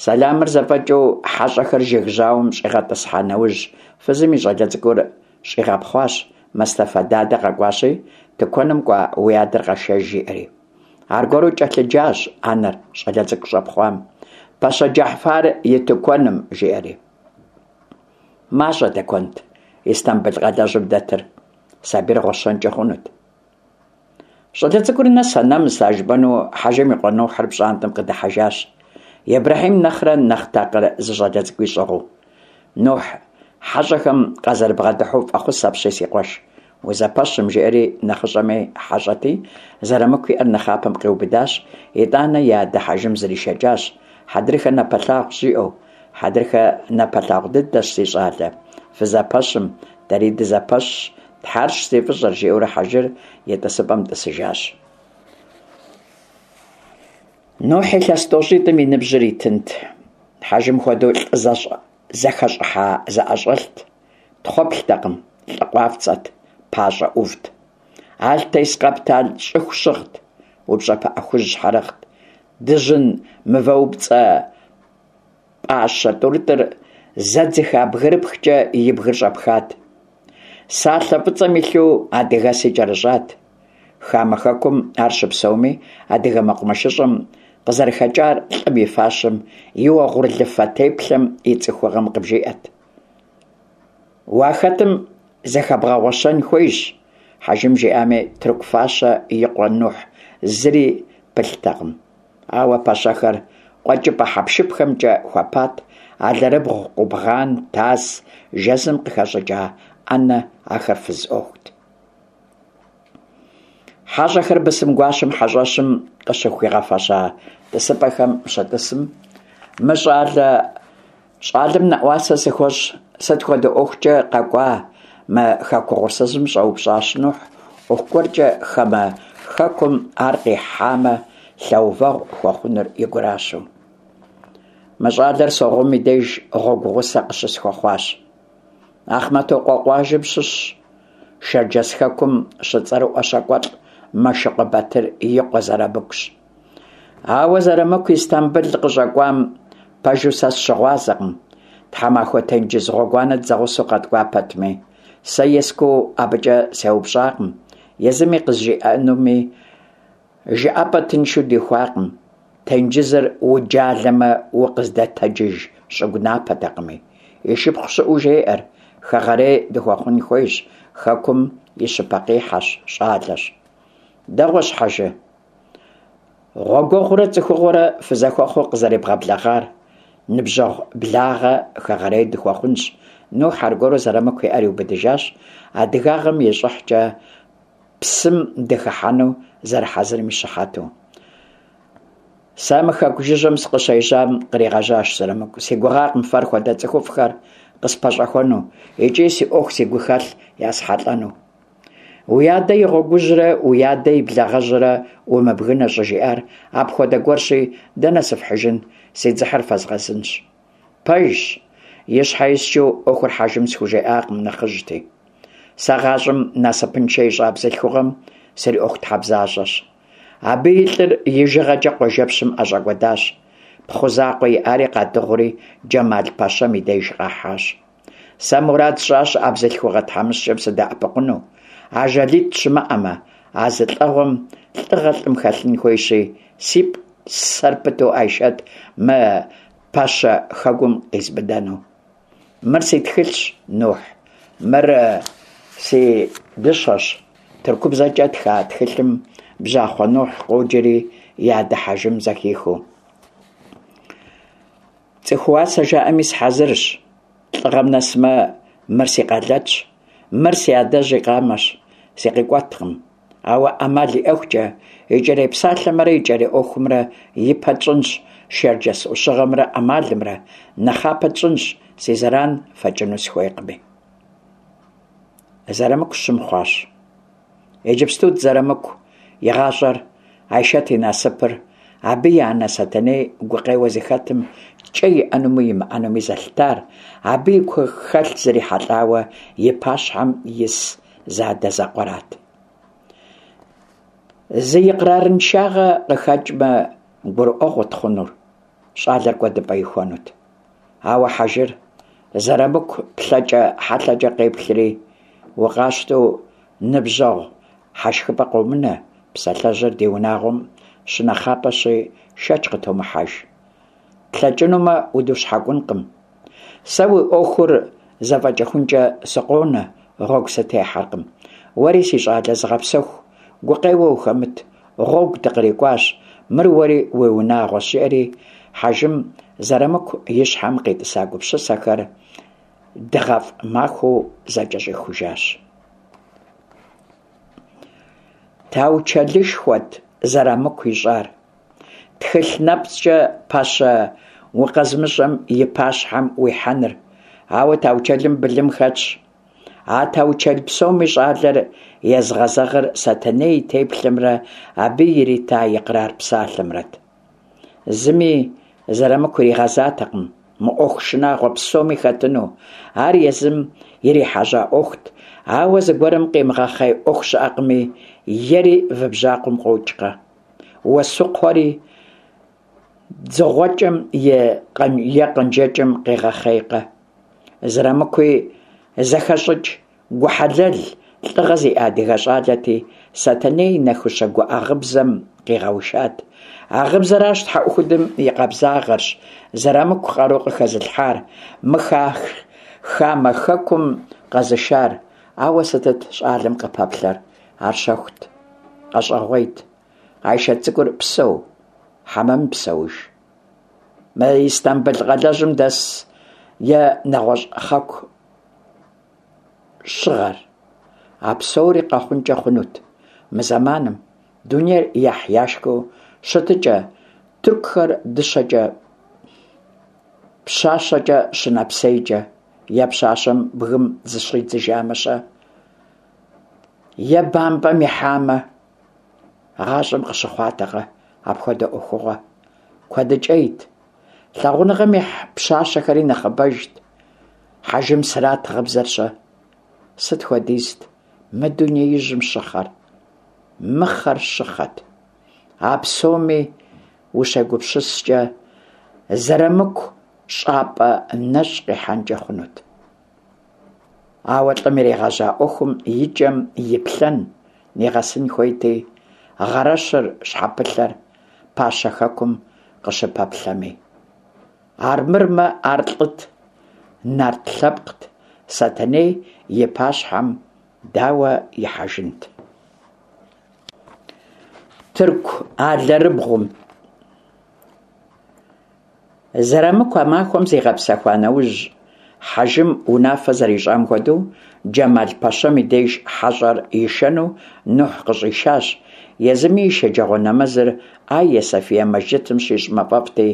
[SPEAKER 1] Сэламыр зэфӏэкӏыу хьэщӏэхэр жыг жьауэм щӏигъэтӏысхьа нэужь, фызым и щӏалэ цӏыкӏур щӏигъэпхъуащ, Мэстэфэ дадэ къэкӏуащи, тыкуэным кӏуа уи адэр къэшэж, жиӏэри. Аргуэру кӏэлъыджащ анэр щӏалэ цӏыкӏу щӏэпхъуам, Пэщэ Джэхьфар и тыкуэным, жиӏэри. Мащӏэ тыкуэнт Истамбыл къалэжьым дэтыр, сабийр гъуэщэнкӏи хъунут. Щӏалэ цӏыкӏур нэса-нэмыса жыпӏэну Хьэжым и къуэ Нухьыр пщӏантӏэм къыдыхьэжащ, Ибрэхьим нэхърэ нэхъ такъыр зы щӏалэ цӏыкӏуи щӏыгъуу. Нухь хьэщӏэхэм къазэрыбгъэдыхьэу фӏэхъус апщий си къуэш, узэпэщым, жиӏэри нэхъыщӏэми хьэщӏэти, Зэрамыку и ӏэр нэхъапэм къиубыдащ, итӏанэ и адэ Хьэжым зришэкӏащ, хьэдрыхэ напэлъагъущ, жиӏэу. Хьэдрыхэ напэлъагъу дыдэщ, си щӏалэ, фызэпэщым, дэри дызэпэщщ, Тхьэрщ зи фӏыщӏэр, жиӏэурэ Хьэжыр и тӏысыпӏэм тӏысыжащ. Нухь илъэс тӏощӏитӏым и ныбжьыр итынт. Хьэжым хуэдэу лӏы зэхэщӏыхьа зыӏэщӏэлът, тхъуэплътэкъым, лӏы къуафцӏэт, пащӏэ ӏувт. Алтес къэптал щӏыху щыгът, упщӏэ пыӏэ хужь щхьэрыгът, дыжьын мывэупцӏэ пӏащэ тӏурытӏыр зэдзыха бгырыпхкӏэ и бгыр щӏэпхат. Салъэ фӏыцӏэм илъу адыгэси кӏэрыщӏат. Хамэ хэкум ар щыпсэуми, адыгэ мэкъумэшыщӏэм къызэрыхэкӏар лӏым и фащэм, и уэгъурлыфэ теплъэм, и цӏыхугъэм къыбжиӏэт. Уахэтым зэхэбгъэгъуэщэн хуейщ, Хьэжым жиӏами, тырку фащэ и къуэ Нухь зыри пылътэкъым. Ауэ пэщэхэр къуэкӏыпӏэ хьэпшыпхэмкӏэ хуэпат, алэрыбгъу, къубгъан, тас, жэзым къыхэщӏыкӏа ӏэнэ, ахэр фыз ӏуэхут. Хьэщӏэхэр бысым гуащэм хьэщӏэщым къыщыхуигъэфэща тӏысыпӏэхэм щытӏысым, мы щӏалэ щӏалэм нэӏуасэ сыхуэщӏ, сыт хуэдэ ӏуэхукӏэ къэкӏуа мы хэку угъурсызым щӏэупщӏащ Нухь, ӏуэху гуэркӏэ хамэ хэкум ар къихьамэ, лъэувэгъу хуэхъунур и гуращэу. Мы щӏалэр Согъум и деж гъуэгу гъусэ къыщысхуэхъуащ. Ахъмэтокъуэ къуажэм щыщщ, Шэрджэс хэкум щыцӏэрыӏуэ щакӏуэлӏ Мэшыкъуэ Батыр и къуэ Зэрамыкущ. Ауэ Зэрамыку Истамбыл къыщӏэкӏуам пэжу сэ сыщыгъуазэкъым, тхьэмахуэ тенджыз гъуэгуанэ дызэгъусэу къэткӏуа пэтми. Сэ ескӏуу абыкӏэ сеупщӏакъым, езыми къызжиӏэнуми жыӏэпӏэ тыншу дихуакъым, тенджызыр уджалэмэ укъыздэтэджыж щӏыгу напэтэкъыми. И шыпхъу щыӏэу жеӏэр, хэгъэрей дыхуэхъун хуейщ, хэкум и щыпэкъихьэщ, щӏалэщ. Дэгъуэщ, хьэжы. Гъуэгуэгъурэ цӏыхугъуэрэ фызэхуэхъуу къызэребгъэблэгъар, ныбжьэгъу благъэ хэгъэрей дыхуэхъунщ. Нухь аргуэру Зэрамыку и ӏэр иубыдыжащ, адыгагъэм и щӏыхькӏэ псым дыхыхьэну зэрыхьэзырым и щыхьэту. Сэ мы хэку жыжьэм сыкъыщежьам, къригъэжьащ Зэрамыку, си гугъакъым фэр хуэдэ цӏыхуфӏхэр къыспэщӏэхуэну икӏи си ӏуэху си гухэлъ ясхьэлӏэну. Уи адэ и гъуэгужьрэ уи адэ и благъэжьрэ умыбгынэ щӏыжиӏар апхуэдэ гуэрщи, дэнэ сыфхьыжын, си дзыхьыр фэзгъэзынщ. Пэжщ, и щхьэ искӏыу ӏуэхур хьэжым схужеӏакъым, нэхъыжьти. Сэ гъащӏэм насыпыншэ ищӏа бзылъхугъэм сриӏуэхутхьэбзащӏэщ. Абы и лӏыр ижыгъэкӏэ къуажэпщым ӏэщӏэкӏуэдащ. Пхъу закъуэ иӏари къадыгъури Джэмал пэщэм и деж къахьащ. Сэ мурад сщӏащ а бзылъхугъэ тхьэмыщкӏэм сыдэӏэпыкъуну. Ажалитӏ щымыӏэмэ, а зы лӏэгъуэм лӏыгъэ лӏым хэлъын хуейщи, си псэр пыту Айшэт мы пэщэ хэгум къизмыдэну. Мыр си тхылъщ, Нухь, мыр си дыщэщ. Тыркубзэкӏэ тха тхылъым Бжьахъуэ Нухь къоджэри и адэ Хьэжым зэхихыу. Цӏыхууасэ жаӏэми сыхьэзырщ, лӏыгъэм нэсмэ, мыр си къэлэтщ, мыр си адэжь и къамэщ, сыкъикӏуэткъым. Ауэ ӏэмал иӏэхукӏэ, икӏэрей псалъэмрэ икӏэрей ӏуэхумрэ ипэ тщӏынщ, шэрджэс ӏущыгъэмрэ ӏэмалымрэ нэхъапэ тщӏынщ, си зэран фэкӏыну сыхуейкъыми. Зэрамыку щым хъуащ. Иджыпстут Зэрамыку и гъащӏэр, Айшэт и насыпыр, абы и анэ Сэтэней гукъеуэ зыхэтым кӏэ иӏэнуми имыӏэнуми зэлъытар, абы и гухэлъ зрихьэлӏауэ и пащхьэм ис зэадэзэкъуэрат. Зы икърарыншагъэ къыхэкӏмэ, гурыӏуэгъуэт хъунур, щӏалэр кӏуэдыпӏэ ихуэнут. Ауэ Хьэжыр Зэрамыку плъэкӏэ хьэлъэкӏэ къеплъри, укъащтэу ныбжьэгъу хьэшхыпӏэ къомынэ, псалъэжьыр ди унагъуэм щынэхъапэщи, шэч къытомыхьэж. Тлъэкӏынумэ, удущхьэкӏункъым. Сэ уи ӏуэхур зэфӏэкӏыхункӏэ сыкъонэ, гъуэгу сытехьэркъым. Уэри, си щӏалэ, зыгъэпсэху, гукъеуэ ухэмыт, гъуэгу дыкърикӏуащ, мыр уэри уи унагъуэщ, жиӏэри Хьэжым Зэрамыку и щхьэм къитӏыса гупсысэхэр дыгъэфӏ махуэу зэкӏэщӏихужащ. Таучэлышхуэт Зэрамыку ищӏар. Тхылъ нэпцӏкӏэ пэщэ укъэзымыщӏэм и пащхьэм уихьэныр. Ауэ таучэлым былым хэтщ. А таучэл псоми щӏалэр езыгъэзэгъыр Сэтэней и теплъэмрэ абы ирита икърар псалъэмрэт. Зыми Зэрамыку иригъэзатэкъым мы ӏуэху шынагъуэ псоми хэтыну, ар езым ирихьэжьа ӏуэхут, ауэ зыгуэрым къимыгъэхъей ӏуэху щыӏэкъыми, ери вы бжьакъуэм къокӏкъэ. Уэсукхъуэри дзыгъуэкӏэм е къанжэкӏэм къегъэхъейкъэ. Зырамыкуи зэхэщӏыкӏ, гу хьэлэл, лӏыгъэ зиӏэ адыгэ щӏалэти, Сэтэней и нэхущэ гуӏэ гъыбзэм къигъэушат. А гъыбзэращ тхьэӏухудым и къабзагъэрщ Зырамыку къару къыхэзылъхьар, мы хамэ хэкум къэзышар. Ауэ сытыт щӏалэм къыпэплъэр? Ар щэхут, къэщӏэгъуейт. Айшэт цӏыкӏур псэу, хьэмэ мыпсэуж? Мы Истамбыл къалэжьым дэс е нэгъуэщӏ хъэку щыгъэр? А псори къэхъункӏэ хъунут мы зэманым, дунейр яхь-яшхыу щытыкӏэ, тыркухэр дыщэкӏэ, пщащэкӏэ щынэпсейкӏэ, е пщащэм бгым зыщӏидзыжамэ-щэ? Е бампӏэм ихьамэ, гъащӏэм къыщыхъуатэкъэ апхуэдэ ӏуэхугъуэ? Куэдыкӏейт. Лъагъуныгъэм ихь пщащэхэри нэхъыбэжт. Хьэжымсырат гъыбзэр-щэ? Сыт хуэдизт мы дунеижьым щыхъэр? Мыхъэр щыхъэт. А псоми ущегупсыскӏэ, Зэрамыку щӏапӏэ нэщӏ къихьэнкӏэ хъунут. Ауэ лӏым иригъэжьа ӏуэхум и кӏэм иплъэн, нигъэсын хуейти, гъэрэщыр щхьэпылъэр пащэ хэкум къыщыпэплъэми. Армырмэ, ар лӏыт, нарт лъэпкът, Сэтэней и пащхьэм дауэ ихьэжынт? Тырку алэрыбгъум. Зэрамыку а махуэм зигъэпсэхуа нэужь, Хьэжым унафэ зэрищӏам хуэдэу, Джэмал пэщэм и деж хьэщӏэр ишэну Нухь къыщӏишащ. Езыми и шэджагъуэ нэмэзыр Айя София мэжджытым щищӏмэ фӏэфӏти,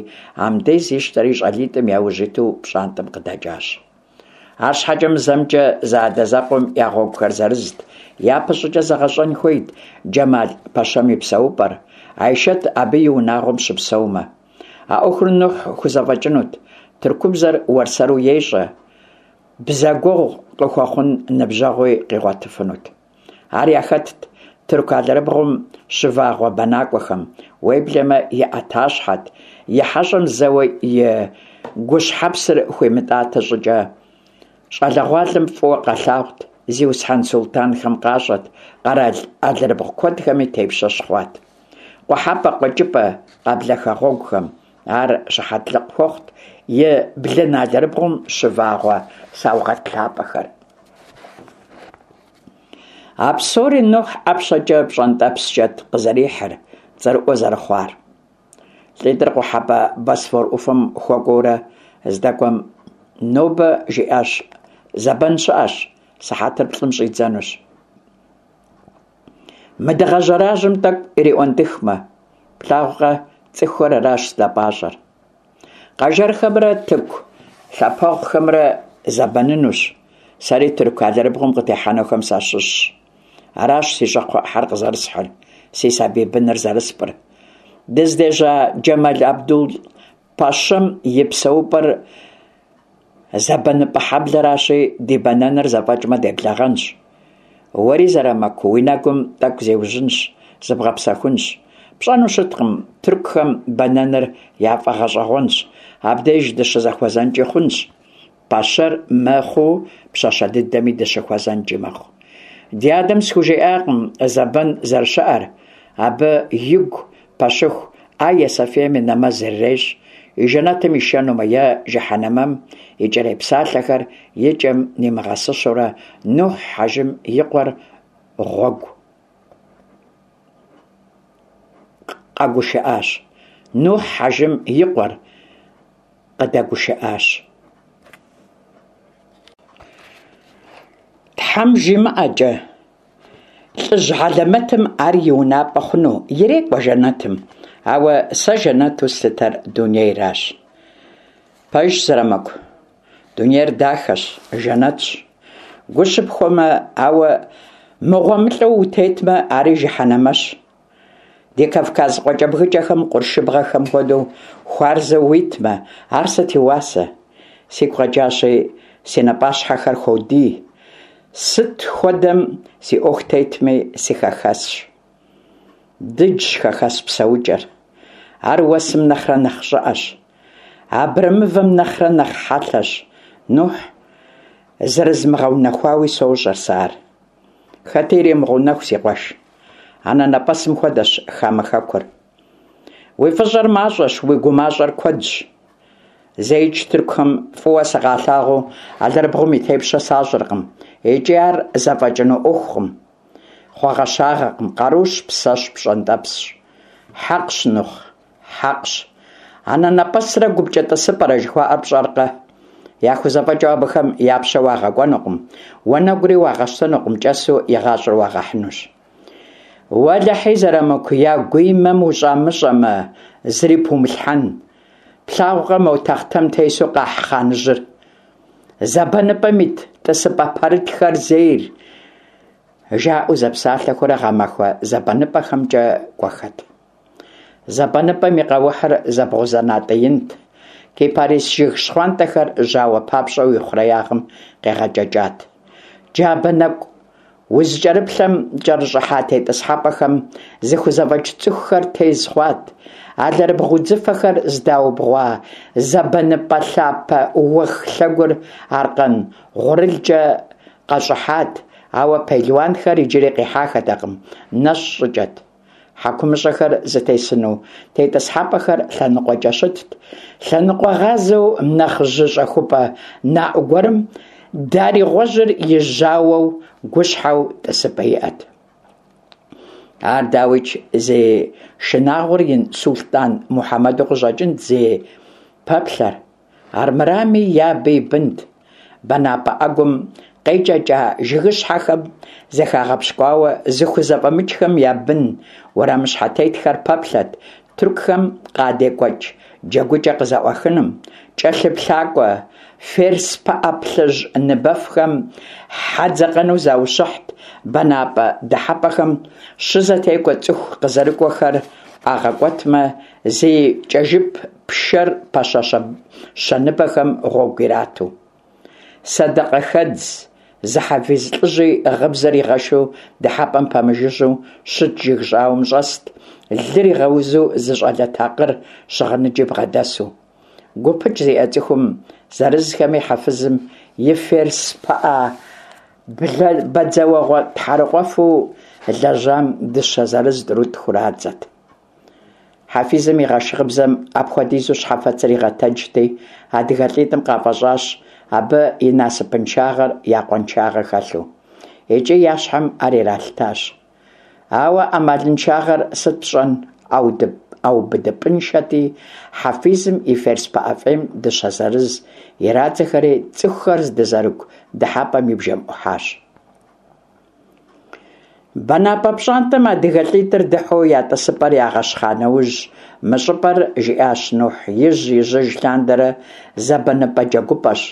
[SPEAKER 1] амдез ищтэри щӏалитӏым я ужь иту пщӏантӏэм къыдэкӏащ. Арщхьэкӏэ мы зэмкӏэ зэадэзэкъуэм я гъуэгухэр зырызт. Япэщӏыкӏэ зэгъэщӏэн хуейт Джэмал пэщэм и псэупӏэр, Айшэт абы и унагъуэм щыпсэумэ. А ӏуэхур Нухь хузэфӏэкӏынут, тыркубзэр уэрсэру ещӏэ, бзэгуэгъу къыхуэхъун ныбжьэгъуи къигъуэтыфынут. Ар яхэтт тырку алэрыбгъум щывагъуэ бэнакӏуэхэм, уеблэмэ и ӏэтащхьэт, и хьэщӏэм зэуэ и гущхьэпсыр хуимытӏатэ щӏыкӏэ. Щӏалэгъуалэм фӏыуэ къалъагъут, зиусхьэн султанхэм къащӏэт, къэрал алэрыбгъу куэдхэми тепщэ щыхъуат. Къухьэпӏэ, къуэкӏыпӏэ, къэблэ хэгъуэгухэм ар щыхьэтлыкъ хуэхъут и блын алэрыбгъум щывагъуэ саугъэт лъапӏэхэр. А псори Нухь ӏэпщэкӏэ пщӏэнтӏэпскӏэт къызэрихьыр, цӏэрыӏуэ зэрыхъуар. Лӏитӏыр къухьэпӏэ Босфор ӏуфэм хуэкӏуэурэ здэкӏуэм, нобэ жиӏащ, зэбэн щыӏэщ, сыхьэтыр плӏым щӏидзэнущ. Мы дыгъэ жьэражьэм тӏэкӏу ириӏуэнтӏыхмэ, плъагъукъэ, цӏыхухэр аращ здэпӏащӏэр. Къэжэрхэмрэ тырку лъапэгъухэмрэ зэбэнынущ. Сэри тырку алэрыбгъум къытехьэнухэм сащыщщ. Аращ си щӏакхъуэ ӏыхьэр къызэрысхьыр, си сабий быныр зэрыспӏыр. Дыздежьа Джэмал Абдул пэщэм и псэупӏэр зэбэныпӏэ хьэблэращи, ди бэнэныр зэфӏэкӏмэ деблэгъэнщ. Уэри, Зэрамыку, уи нэгум тӏэкӏу зиужьынщ. зыбгъэпсэхунщ. Пщӏэну щыткъым, тыркухэм бэнэныр яфӏэгъэщӏэгъуэнщ, абдеж дыщызэхуэзэнкӏи хъунщ. Пащэр мыхъуу, пщащэ дыдэми дыщыхуэзэнкӏи мэхъу. Ди адэм схужиӏакъым зэбэн зэрыщыӏэр, абы игу пэщыху Айя Софием и нэмэз ирырещӏ, и жэнэтым ишэнумэ е жыхьэнэмэм икӏэрей псалъэхэр и кӏэм нимыгъэсыщэурэ Нухь хьэжым и къуэр гъуэгу къэгушыӏащ. Нухь хьэжым и къуэр къыдэгушыӏащ. Тхьэм жимыӏэкӏэ, лӏыжь хьэлэмэтым ар и унапӏэ хъуну, ирекӏуэ жэнэтым, ауэ сэ жэнэту слъытэр дунейращ. Пэжщ, Зырамыку, дунейр дахэщ, жэнэтщ. Гу щыпхуэмэ, ауэ мыгъуэмылӏэу утетмэ, ари жыхьэнэмэщ. Ди Кавказ къуакӏэбгыкӏэхэм къуршыбгъэхэм хуэдэу хуарзэу уитмэ, ар сыт и уасэ? Сигу къэкӏащи, си напӏащхьэхэр хуодий. Сыт хуэдэм си ӏуэху тетми, сыхэхэсщ. Дыджщ хэхэс псэукӏэр. Ар уэсым нэхърэ нэхъ щӏыӏэщ. Абрэмывэм нэхърэ нэхъ хьэлъэщ. Нухь, зэрызмыгъэунэхуауи сощӏэр сэ ар. Хэти иремыгъэунэху, си къуэш. Анэнэпӏэсым хуэдэщ хамэ хэкур. Уи фӏыщӏэр мащӏэщ, уи гумащӏэр куэдщ. Зэикӏ тыркухэм фӏыуэ сыкъалъагъуу алэрыбгъум и тепщэ сащӏыркъым, икӏи ар зэфӏэкӏыну ӏуэхукъым. Хъуэгъэщагъэкъым, къарущ, псэщ, пщӏэнтӏэпсщ. Хьэкъщ, Нухь, хьэкъщ. Анэнэпӏэсрэ гупкӏэ тӏысыпӏэрэ жыхуаӏэр пщӏэркъэ? Яхузэфӏэкӏыу абыхэм я пщэ уагъэкӏуэнукъым, уанэгури уагъэщтэнукъым, кӏэсу игъащӏэр уагъэхьынущ. Уэлэхьи, Зырамыку, я гуимэм ущӏамыщӏэмэ, зыри пумылъхьэн. Плъагъукъэ мо тахътэм тесу къахь хъаныжьыр? Зэбэныпӏэм ит тӏысыпӏэ пэрытхэр зейр, жаӏэу зэпсалъэхурэ гъэмахуэ зэбэныпӏэхэмкӏэ кӏуэхэт. Зэбэныпӏэм и къэухьыр зэбгъузэнатӏэ инт, кипарис жыг щхъуантӏэхэр жьауэ папщӏэу и хъуреягъым къегъэкӏэкӏат. Джабэ нэкӏу узыкӏэрыплъэм кӏэрыщӏыхьа тетӏысхьэпӏэхэм зыхузэфӏэкӏ цӏыхухэр тез хъуат, алэрыбгъу удзыфэхэр здаубгъуа зэбэныпӏэ лъапэ уэх лъэгур аркъэн гъурылкӏэ къэщӏыхьат, ауэ пелуанхэр иджыри къихьахэтэкъым, нэщӏ щӏыкӏэт. Хьэкумыщӏэхэр зытесыну тетӏысхьэпӏэхэр лъэныкъуэкӏэ щытт. Лъэныкъуэгъазэу нэхъ жьы щӏэхупӏэ наӏу гуэрым дарий гъуэжьыр и жьауэу гущхьэу тӏысыпӏэ иӏэт. Ар, дауикӏ, зи шынагъуэр ин сулътӏан Мухьэмэду къыщӏэкӏынт зи пэплъэр. Армырами, е абы и бынт. Бэнапӏэ ӏэгум къекӏэкӏа жыгыщхьэхэм зыхагъэпщкӏуауэ зыхузэфӏэмыкӏхэм я бын уэрамыщхьэтетхэр пэплъэт тыркухэм къадекӏуэкӏ джэгукӏэ къызэӏуахыным, кӏэлъыплъакӏуэ ферс пыӏэ плъыжь ныбэфхэм хьэ дзэкъэну заущыхьт, бэнапӏэ дыхьэпӏэхэм щызэтекӏуэ цӏыху къызэрыкӏуэхэр ӏуагъэкӏуэтмэ, зи кӏэжып пшэр пэщэщэ щэныбэхэм гъуэгу ирату. Сэдэкъэхэдз зы хьэфиз лӏыжьи гъыбзэр игъэшу дыхьэпӏэм пэмыжыжьэу щыт жыг щӏауэм щӏэст, лыр игъэузу зы щӏалэ такъыр щыгъыныджи бгъэдэсу. Гупыкӏ зиӏэ цӏыхум зырызхэми хьэфызым и ферс пыӏэ бэдзэуэгъуэ тхьэрыкъуэфу лэжьам дыщэ зырыз тӏурытӏ хурадзэт. Хьэфизым игъэш гъыбзэм апхуэдизу щхьэфэцыр игъэтэджти, адыгэ лӏитӏым къафӏэщӏащ абы и насыпыншагъэр я къуаншагъэ хэлъу. Икӏи я щхьэм ар иралъытащ. Ауэ ӏэмалыншагъэр сыт пщӏэн, ӏэубыдыпӏэншэти, хьэфизым и ферс пыӏэ фӏейм дыщэ зырыз ирадзэхэри цӏыхухэр здызэрыгу дыхьэпӏэм и бжэм ӏухьащ. Бэнапӏэ пщӏантӏэм адыгэ лӏитӏыр дыхьэу я тӏысыпӏэр ягъэщхъа нэужь, мы щӏыпӏэр, жиӏащ Нухь, ижь-ижьыж лъандэрэ зэбэныпӏэ джэгупӏэщ.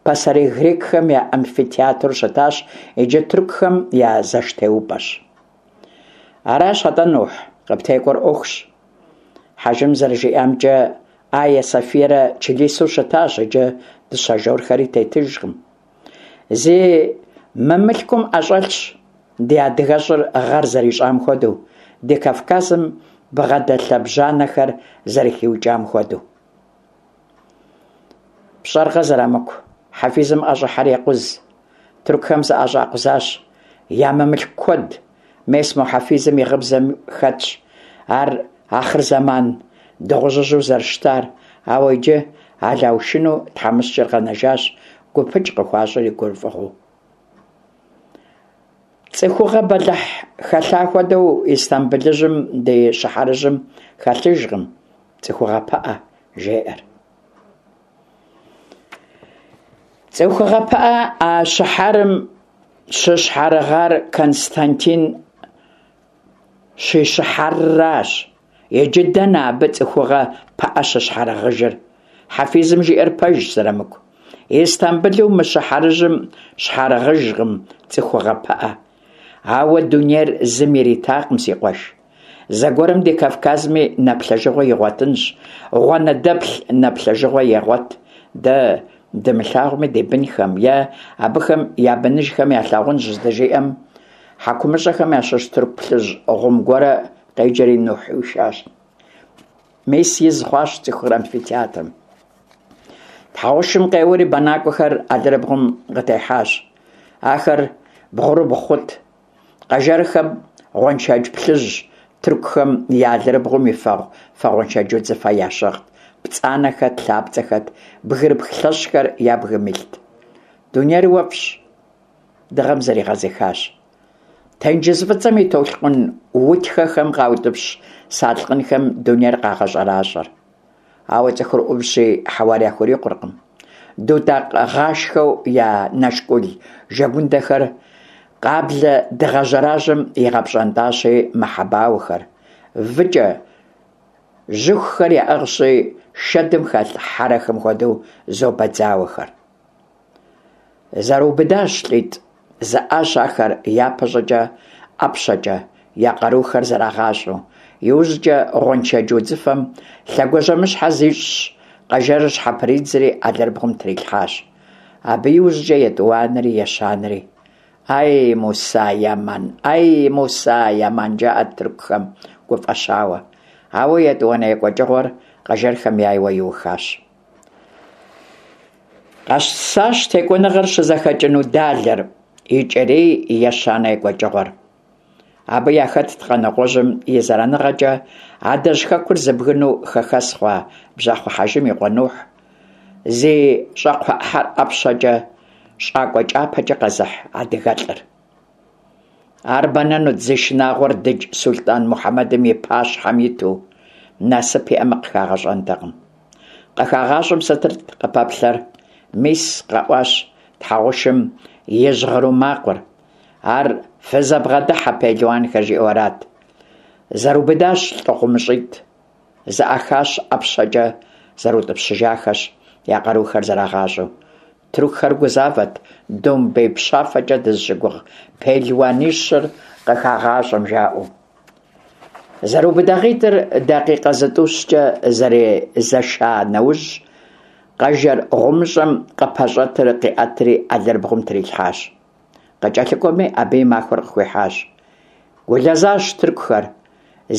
[SPEAKER 1] Пасэрей грекхэм я амфитеатру щытащ, иджы тыркухэм я зэштеупӏэщ. Аращ атӏэ, Нухь, къыптекӏуэр ӏуэхущ. Хьэжым зэрыжиӏамкӏэ, Айя Софиерэ чылисэу щытащ, иджы дыщэ жорхэри тетыжкъым. Зи мымылъкум ӏэщӏэлъщ ди адыгэщӏыр гъэр зэрищӏам хуэдэу. ди Кавказым бгъэдэлъэбжьанэхэр зэрыхиукӏам хуэдэу. Пщӏэркъэ, Зырамыку, хьэфизым ӏэщӏыхьэр екъуз. Тыркухэм зыӏэщӏакъузащ. Я мымылъку куэд. Мес мо хьэфизым и гъыбзэм хэтщ. Ар ахъырзэман дыгъужьыжьу зэрыщытар. Ауэ иджы Алаушыну тхьэмыщкӏэр къэнэжащ, гупыкӏ къыхуащӏыр и гурыфӏыгъуэу. Цӏыхугъэ бэлыхь хэлъа хуэдэу Истамбылыжьым ди щыхьэрыжьым хэлъыжкъым цӏыхугъэ пыӏэ, жеӏэр. Цӏыхугъэ пыӏэ а щыхьэрым щыщхьэрыгъар Константин щищыхьэрращ. Иджы дэнэ абы цӏыхугъэ пыӏэ щыщхьэрыгъыжыр? Хьэфизым жиӏэр пэжщ, Зырамыку. Истамбылу мы щыхьэрыжьым щхьэрыгъыжкъым цӏыхугъэ пыӏэ. Ауэ дунейр зым иритакъым, си къуэш. Зэгуэрым ди Кавказми нэплъэжыгъуэ игъуэтынщ, гъуанэдэплъ нэплъэжыгъуэ егъуэт. Дэ дымылъагъуми ди бынхэм е абыхэм я быныжхэм ялъагъунщ, здыжиӏэм, хьэкумыщӏэхэм ящыщ тырку плъыжь гъум гуэрэ къеджэри Нухь ӏуишащ. Мес из хъуащ цӏыхухэр амфитеатрым. Тхьэгъушым къеуэри бэнакӏуэхэр алэрыбгъум къытехьащ. Ахэр бгъурыбгъу хъут. Къэжэрхэм гъуэншэдж плъыжь, тыркухэм я алэрыбгъум и фэгъу фэ гъуэншэдж удзыфэ ящыгът, пцӏанэхэт, лъапцӏэхэт, бгырыпх лъэщхэр я бгым илът. Дунейр уэфӏщ, дыгъэм зригъэзыхащ. Тенджыз Фӏыцӏэм и толъкъун утхэхэм къаутӏыпщ салъкъынхэм дунейр къагъэщӏэращӏэр. Ауэ цӏыхур ӏувщи, хьэуар яхурикъуркъым. Дутӏакъ гъашхэу я нэшкӏул жэгундэхэр къаблэ дыгъэ жьэражьэм игъэпщӏэнтӏащи, мэхьэбауэхэр. Выкӏэ жьыхухэр яӏыгъщи, шэдым хэлъ хьэрэхэм хуэдэу зобэдзауэхэр. Зэрыубыдащ лӏитӏ, зэӏащ ахэр япэщӏыкӏэ ӏэпщэкӏэ, я къарухэр зэрагъащӏэу. Иужькӏэ гъуэншэдж удзыфэм лъэгуажьэмыщхьэ зищӏщ, къэжэрыр щхьэпридзри алэрыбгъум трилъхьащ. Абы иужькӏэ етӏуанэри, ещанэри. Ай, Муса Яман, ай, Муса Яман, жаӏэрт тыркухэм гуфӏэщауэ. Ауэ етӏуанэ екӏуэкӏыгъуэр къэжэрхэм яйуэ иухащ. Къэсащ текӏуэныгъэр щызэхэкӏыну далэр, икӏэрей ещанэ екӏуэкӏыгъуэр. Абы яхэтт Къаныкъуэжьым и зэраныгъэкӏэ адэжь хэкур зыбгынэу хэхэс хъуа Бжьахъуэ Хьэжым и къуэ Нухь, зи щӏакхъуэ ӏыхьэр ӏэпщэкӏэ, щӏакӏуэ кӏапэкӏэ къэзыхь адыгэлӏыр. Ар бэнэнут зи шынагъуэр дыдж сулътӏан Мухьэмэдым и пащхьэм иту, насып иӏэмэ къыхагъэщӏэнтэкъым. Къыхагъащӏэм сытырт къыпэплъэр? Мис, къэӏуащ тхьэгъушым и жьгъыру макъыр. Ар фызэбгъэдыхьэ пелуанхэр жиӏэу арат. Зэрыубыдащ лӏы гъумыщӏитӏ. Зэӏахащ ӏэпщэкӏэ зэрыутӏыпщыжахэщ, я къарухэр зэрагъащӏэу. Тыркухэр гузавэт домбей пщафэкӏэ дызыщыгугъ пелуанищыр къыхагъащӏэм, жаӏэу. Зэрыубыдагъитӏыр дакъикъэ зытӏущкӏэ зэрезэша нэужь, къэжэр гъумыщӏэм къыпэщӏэтыр къиӏэтри алэрыбгъум трилъхьащ. Къыкӏэлъыкӏуэми абы и махуэр къыхуихьащ. Гулэзащ тыркухэр.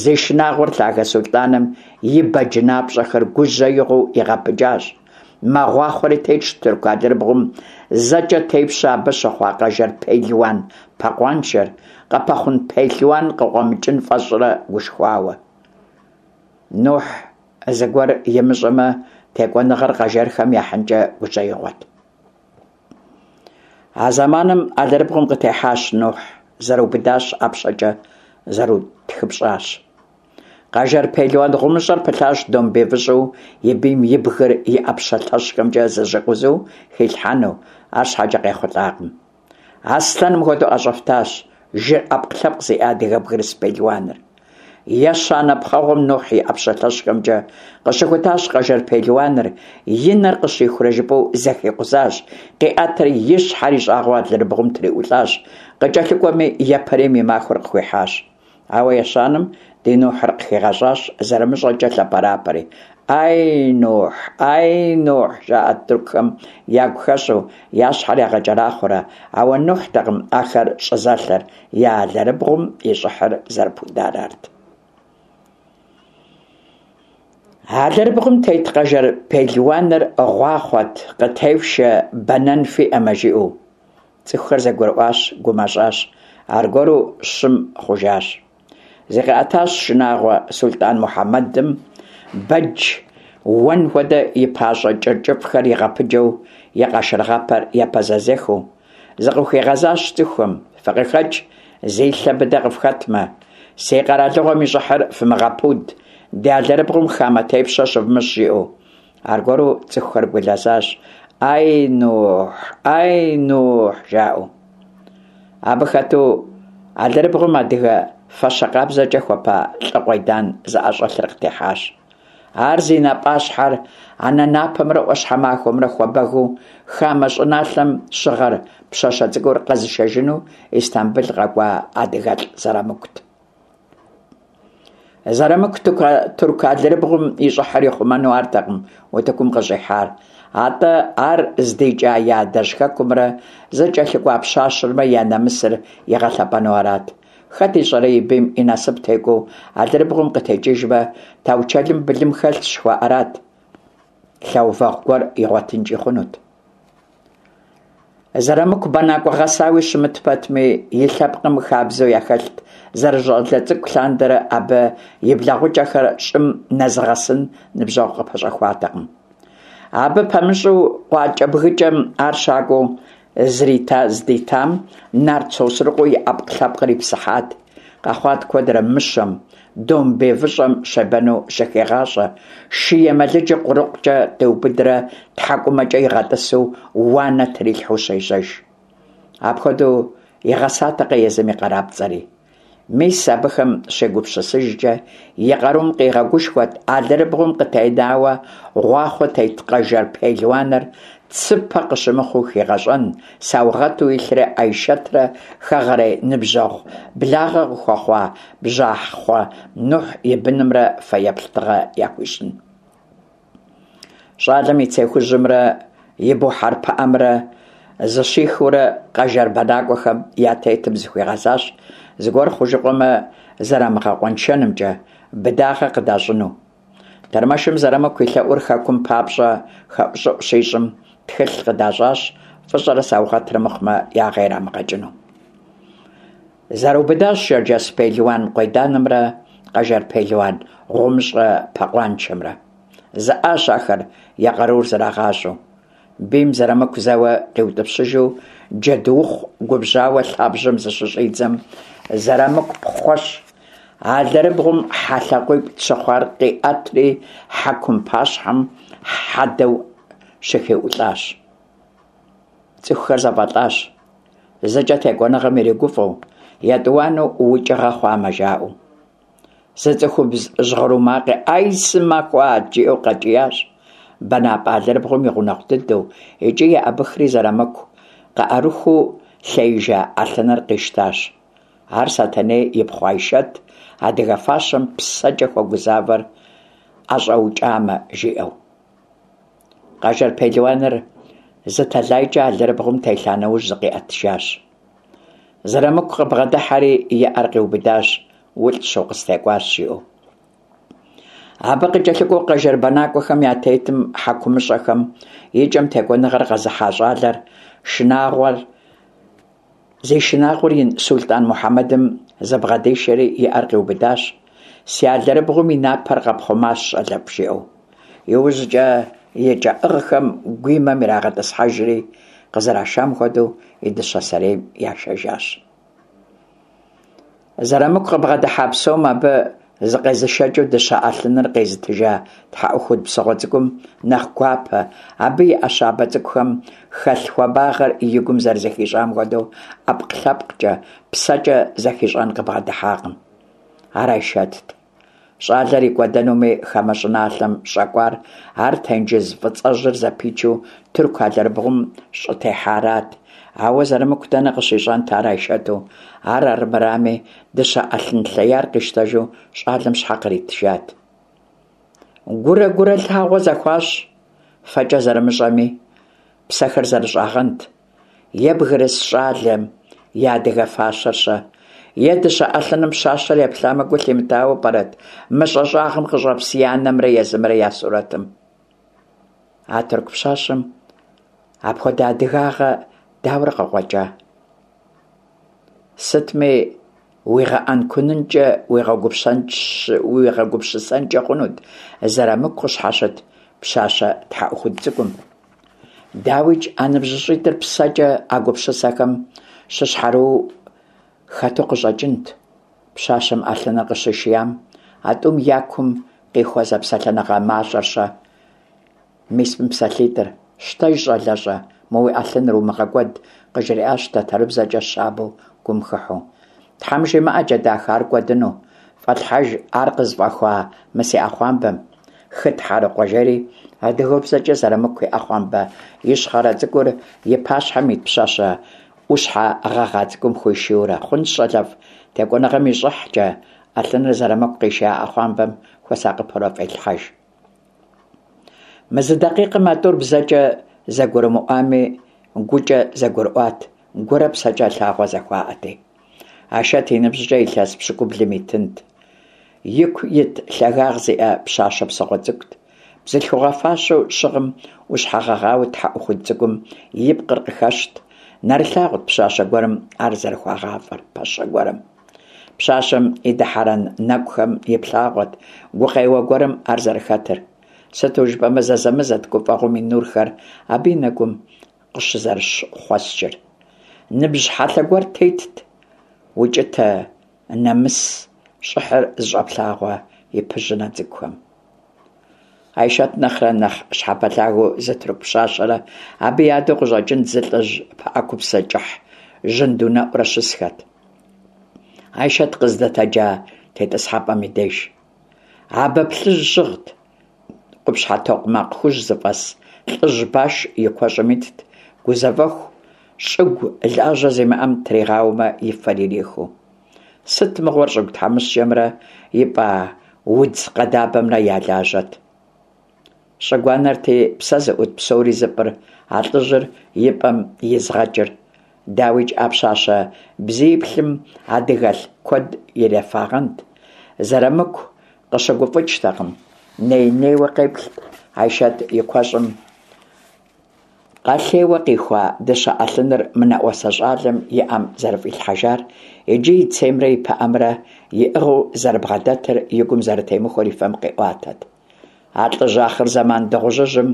[SPEAKER 1] Зи шынагъуэр лъагэ сулътӏаным и бэджынапщӏэхэр гужьеигъуэу игъэпыджащ. Мэгъуахъуэри тетщ тырку алэрыбгъум зэкӏэ тепщэ абы щыхъуа къэжэр пелуан пэкъуаншэр, къыпэхъун пелуан къыкъуэмыкӏын фӏэщӏрэ гушхуауэ. Нухь зыгуэр имыщӏэмэ, текӏуэныгъэр къэжэрхэм яхьынкӏэ гужьеигъуэт. А зэманым алэрыбгъум къытехьащ Нухь, зэрыубыдащ ӏэпщэкӏэ, зэрутхыпщӏащ. Къэжэр пелуан гъумыщӏэр пылъащ домбей выщӏу и бийм и бгыр и ӏэпщэ лъэщхэмкӏэ зэщӏикъузэу хилъхьэну, арщхьэкӏэ къехъулӏакъым. Аслъэным хуэдэу ӏэщӏэфтащ жыр ӏэпкълъэпкъ зиӏэ адыгэ бгырыс пелуаныр. Ещанэ пхъэгъуэм Нухь и ӏэпщэ лъэщхэмкӏэ къыщыхутащ къэжэр пелуаныр, и нэр къыщихурэ жыпӏэу зэхикъузащ, къиӏэтри и щхьэр и щӏагъыу алэрыбгъум триӏулӏащ, къыкӏэлъыкӏуэми япэрейм и махуэр къыхуихьащ. Ауэ ещанэм ди Нухьыр къыхигъэщӏащ, зэрымыщӏэкӏэ лъэпэрапэри. Ай, Нухь, ай, Нухь, жаӏэрт тыркухэм ягу хэщӏу, я щхьэр ягъэкӏэрахъуэрэ, ауэ Нухьтэкъым ахэр щӏызэлъэр, я алэрыбгъум и щӏыхьыр зэрыпудар арт. Алэрыбгъум тет къэжэр пелуаныр гъуахъуэт, къытефшэ, бэнэн фиӏэмэ, жиӏэу. Цӏыхухэр зэгурыӏуащ, гумэщӏащ, аргуэру щым хъужащ. Зыкъиӏэтащ шынагъуэ Сулътӏан Мухьэмэдым, бэдж уэн хуэдэ и пащӏэ кӏыр кӏыфӏхэр игъэпыджэу, и къашыргъэпэр епэзэзэхыу. Зыкъыхуигъэзащ цӏыхухэм, Фыкъыхэкӏ, зи лъэ быдэ къыфхэтмэ. Си къэралыгъуэм и щӏыхьыр фымыгъэпуд, ди алэрыбгъум хамэ тепщэ щывмыщӏ, жиӏэу. Аргуэру цӏыхухэр гулэзащ, Ай, Нухь! Ай, Нухь! жаӏэу. Абы хэту алэрыбгъум адыгэ фащэ къабзэкӏэ хуэпа лӏы къуейдан зыӏэщӏэлъыр къытехьащ. Ар зи напӏащхьэр анэ напэмрэ ӏуащхьэмахуэмрэ хуэбэгыу хамэ щӏыналъэм щыгъэр пщащэ цӏыкӏур къэзышэжыну Истамбыл къэкӏуа адыгэлӏ Зэрамыкут. Зэрамыку тырку алэрыбгъум и щӏыхьыр ихъумэну артэкъым утыкум къыщӏихьар, атӏэ ар здикӏа и адэжь хэкумрэ зыкӏэлъыкӏуа пщащэмрэ я нэмысыр игъэлъэпӏэну арат. Хэт ищӏэрэ и бийм и насып текӏуэу алэрыбгъум къытекӏыжмэ, таучэлым былым хэлъщ жыхуаӏэрат, лъэувэгъу гуэр игъуэтынкӏи хъунут. Зэрамыку бэнакӏуэ гъэсауи щымыт пэтми, и лъэпкъым хабзэу яхэлът зэрыщӏалэ цӏыкӏу лъандэрэ абы и блэгъукӏэхэр щӏым нэзыгъэсын ныбжьэгъу къыпэщӏэхуатэкъым. Абы пэмыщӏу къуакӏэбгыкӏэм ар щакӏуэу зрита здитам нарт Сосрыкъуэу и ӏэпкълъэпкъыр ипсыхьат. Къэхъуат куэдрэ мыщэм, домбей выщӏэм щебэну щыхигъащӏэ, шы емэлыджыр къурыкъукӏэ къиубыдрэ тхьэкӏумэкӏэ игъэтӏысу уанэ трилъхьэу щежьэж. Апхуэдэу игъэсатэкъэ езым и къарапцӏэри. Мис абыхэм щегупсысыжкӏэ, и къарум къигъэгушхуэт алэрыбгъум къытенауэ гъуахъуэ тет къэжэр пелуаныр цыпэ къыщымыхъуу хигъэщӏэн, саугъэту илърэ Айшэтрэ хэгъэрей ныбжьэгъу благъэ къыхуэхъуа Бжьахъуэ Нухь и бынымрэ фэеплъ тыгъэ яхуищӏын. Щӏалэм и цей хужьымрэ и бухьэр пыӏэмрэ зыщихыурэ къэжэр бэнакӏуэхэм я тетым зыхуигъэзащ, зыгуэр хъужыкъуэмэ зэрамыгъэкъуэншэнымкӏэ, быдагъэ къыдащӏыну. Тэрмэшым Зэрамыку и лъэӏур хэкум папщӏэ хэӏущӏыӏу щищӏым, тхылъ къыдащӏащ, фӏыщӏэрэ саугъэтрэ мыхъумэ ягъэ ирамыгъэкӏыну. Зэрыубыдащ шэрджэс пелуан къуейданымрэ къэжэр пелуан гъумыщӏэ пэкъуаншэмрэ. Зэӏащ ахэр я къарур зэрагъащӏэу. Бийм Зэрамыку зэуэ къиутӏыпщыжу джэдуухъу губжьауэ лъабжьэм зыщыщӏидзэм, Зэрамыку пхъуэщ. Алэрыбгъум хьэ лъакъуиплӏ щыхъуар къиӏэтри хьэкум пащхьэм хьэдэу щыхиӏулӏащ. Цӏыхухэр зэфӏэлӏащ. Зыкӏэ текӏуэныгъэм иригуфӏэу, етӏуанэу укӏыгъэ хъуамэ, жаӏэу. Зы цӏыхубз жьгъыру макъи «Ай, сымэхуат!» жиӏэу къэкӏиящ. Бэнапӏэ алэрыбгъум и гъунэгъу дыдэу икӏи еӏэбыхри Зэрамыку къыӏэрыхуу лъеижа ӏэлъыныр къищтащ. Ар Сэтэней ипхъу Айшэт, адыгэ фащэм псэкӏэ хуэгузавэр ӏэщӏэукӏамэ, жиӏэу. Къэжэр пелуаныр зы тэлайкӏэ алэрыбгъум телъа нэужь зыкъиӏэтыжащ. Зэрамыку къыбгъэдыхьэри и ӏэр къиубыдащ, улӏщ, укъыстекӏуащ, жиӏэу. Абы къыкӏэлъыкӏуэу къэжэр бэнакӏуэхэм я тетым, хьэкумыщӏэхэм, и кӏэм текӏуэныгъэр къэзыхьа щӏалэр шынагъуэр Зи шынагъуэр ин Сулътӏан Мухьэмэдым зыбгъэдишэри и ӏэр къиубыдащ, Си алэрыбгъум и напэр къэпхъумащ, щӏалэфӏ, жиӏэу. Иужькӏэ и кӏэӏыгъхэм гуимэм ирагъэтӏысхьэжри, къызэрашам хуэдэу и дыщэ сэрейм яшэжащ. Зэрамыку къыбгъэдыхьа псом абы зыкъезышэкӏыу дыщэ ӏэлъыныр къезытыжа тхьэӏухуд псыгъуэ цӏыкӏум нэхъ гуапэ, абы и ӏэ щабэ цӏыкӏухэм хэлъ хуабагъэр и гум зэрызэхищӏам хуэдэу ӏэпкълъэпкъкӏэ, псэкӏэ зэхищӏэн къыбгъэдыхьакъым. Ар Айшэтт. Щӏалэр икӏуэдэнуми хамэ щӏыналъэм щӏэкӏуар ар тенджыз Фӏыцӏэжьыр зэпичу тырку алэрыбгъум щӏытехьарат. Ауэ Зэрымыку дэнэ къыщищӏэнт ар Айшэту? Ар армырами, дыщэ ӏэлъын лъеяр къищтэжу щӏалэм щхьэ къритыжат? Гурэ гурэ лъагъуэ зэхуащӏ, фэкӏэ зэрымыщӏэми, псэхэр зэрыщӏагъэнт. Е бгырыс щӏалэм и адыгэ фащэр-щэ? Е дыщэ ӏэлъыным пщащэр еплъамэ гу лъимытауэ пӏэрэт мыщӏэ щӏагъым къыщӏэпс и анэмрэ езымрэ я сурэтым? А тырку пщащэм апхуэдэ адыгагъэ дауэрэ къыкъуэкӏа? Сытми, уигъэӏэнкунынкӏэ, уигъэгупсысэнкӏэ хъунут Зэрамыку къыщхьэщыт пщащэ тхьэӏухуд цӏыкӏум. Дауикӏ, а ныбжьыщӏитӏыр псэкӏэ а гупсысэхэм щыщхьэрыуэу хэту къыщӏэкӏынт. Пщащэм ӏэлъыныр къыщишиям, а тӏум я кум къихуэ зэпсэлъэныгъэ мащӏэр-щэ? Мис мы псалъитӏыр, Щтэж, щӏалэщӏэ, мы уи ӏэлъыныр умыгъэкӏуэд, къыжриӏащ тэтэрыбзэкӏэ щабэу гум хыхьэу. Тхьэм жимыӏэкӏэ, дахэ, ар кӏуэдыну. Фӏэлъхьэж ар къызыфӏэхуа мы си ӏэхъуамбэм. Хы тхьэрыкъуэ жери, адыгэбзэкӏэ Зэрамыку и ӏэхъуамбэ ищхъэрэ цӏыкӏур и пащхьэм ит пщащэ ӏущхьэ гъэгъа цӏыкӏум хуишийурэ, Хъунщ, щӏалэфӏ, текӏуэныгъэм и щӏыхькӏэ, ӏэлъыныр Зэрамыку къишия ӏэхъуамбэм хуэсакъыпэурэ фӏелъхьэж. Мы зы дакъикъэм а тӏур бзэкӏэ зэгурымыӏуами, гукӏэ зэгурыӏуат, гурэ псэкӏэ лъагъуэ зэхуаӏэти. Айшэт и ныбжькӏэ илъэс пщыкӏублым итынт. Ику ит лъагагъ зиӏэ пщащэ псыгъуэ цӏыкӏут. Бзылъхугъэ фащэу щыгъым ӏущхьэ гъэгъауэ тхьэӏухуд цӏыкӏум и пкъыр къыхэщт. Нэрылъагъут пщащэ гуэрым ар зэрыхуагъафӏэр, пэщэ гуэрым. Пщащэм и дыхьэрэн нэкӏухэм иплъагъуэт гукъеуэ гуэрым ар зэрыхэтыр. Сыту жыпӏэмэ, зэзэмызэт гуфӏэгъуэм и нурхэр абы и нэгум къыщызэрыщыхъуэскӏыр. Ныбжь хьэлъэ гуэр тетт, укӏытэ, нэмыс, щӏыхьыр зыщӏэплъагъуэ и пыжьынэ цӏыкӏухэм. Айшэт нэхърэ нэхъ щхьэпэлъагэу зы тырку пщащэрэ абы и адэу къыщӏэкӏынт зы лӏыжь пыӏэкупсэ кӏыхь жьындунэӏурэ щысхэт. Айшэт къыздэтэджа тетӏысхьэпӏэм и деж. Абэ плъыжь щыгът, къупщхьэ токъмакъ хужь зыфӏэс лӏыжь баш и куэщӏым итт, гузэвэху, щӏыгу лажьэ зимыӏэм тригъауэмэ и фэр ирихыу. Сыт мыгъуэр щӏыгу тхьэмыщкӏэмрэ ипӏа удз къэдабэмрэ я лажьэт? Щӏыгу-анэрти, псэ зыӏут псори зыпӏыр, а лӏыжьыр и пӏэм изгъэкӏыр. Дауикӏ, а пщащэ бзииплъым адыгэлъ куэд ирефагъэнт. Зэрамыку къыщыгуфӏыкӏтэкъым, ней-нейуэ къеплът Айшэт и куэщӏым. Къэлъейуэ къихуа дыщэ ӏэлъыныр мынэӏуасэ щӏалэм и ӏэм зэрыфӏилъхьэжар, иджы и цеймрэ и пыӏэмрэ иӏыгъыу зэрыбгъэдэтыр и гум зэрытемыхуэр и фэм къиӏуатэт. А лӏыжь ахъырзэман дыгъужьыжьым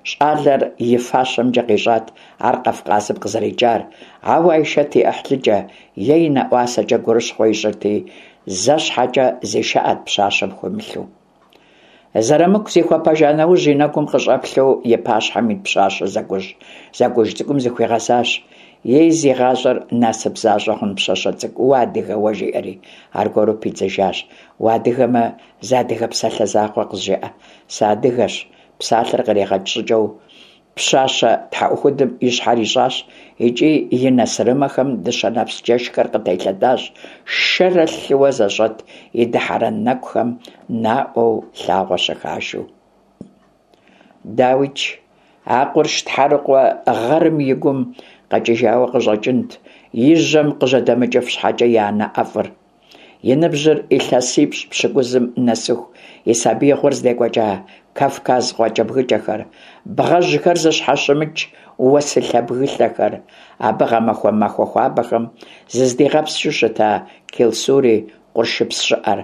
[SPEAKER 1] щӏалэр и фащэмкӏэ къищӏат ар Кавказым къызэрикӏар, ауэ Айшэт и ӏыхьлыкӏэ е и нэӏуасэкӏэ гурыщхъуэ ищӏырти, зэ щхьэкӏэ зишыӏэт пщащэм хуемылъу. Зэрамыку зихуэпэжа нэужь и нэгум къыщӏэплъу и пащхьэм ит пщащэ зэкӏуж зэкӏуж цӏыкӏум зыхуигъэзащ. Ей, зи гъащӏэр насып защӏэ хъун пщащэ цӏыкӏу, уадыгэ уэ, жиӏэри, аргуэру пидзыжащ. Уадыгэмэ, зы адыгэ псалъэ закъуэ къызжеӏэ. Сыадыгэщ, псалъэр къригъэкӏ щӏыкӏэу Пщащэ тхьэӏухудым и щхьэр ищӏащ икӏи и нэ сырымэхэм дыщэ нэпс джэшхэр къытелъэдащ, шэрэ лъыуэ зэщӏэт и дыхьэрэн нэкӏухэм наӏуэу лъагъуэ щыхашу. Дауикӏ, а къурш тхьэрыкъуэ гъэрым и гум къэкӏыжауэ къыщӏэкӏынт и жьэм къыжьэдэмыкӏыф щхьэкӏэ и анэ ӏэфӏыр. И ныбжьыр илъэсипщӏ-пщыкӏузым нэсыху и сабиигъуэр здекӏуэкӏа Кавказ къуакӏэбгыкӏэхэр, бгъэжьхэр зыщхьэщымыкӏ уэсылъэ бгылъэхэр, абы гъэмахуэ махуэ хуабэхэм зыздигъэпскӏыу щыта Келсури къуршыпс щӏыӏэр,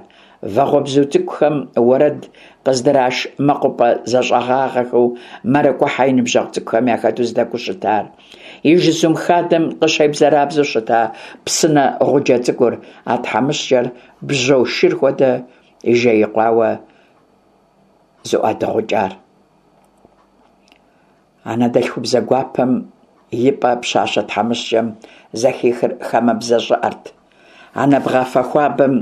[SPEAKER 1] вагъуэбзу цӏыкӏухэм уэрэд къыздраш мэкъупӏэ зэщӏэгъагъэхэу мэракӏуэхьэ и ныбжьэгъу цӏыкӏухэм яхэту здэкӏуэу щытар. И жызум хадэм къыщебзэрабзэу щыта псынэ гъуджэ цӏыкӏур, а тхьэмыщкӏэр бжьо шыр хуэдэ жеикъуауэ зыӏуадыгъукӏар. Анэдэлъхубзэ гуапэм и пӏэ пщащэ тхьэмыщкӏэм зэхихыр хамэбзэ щӏыӏэрт. Анэ бгъафэ хуабэм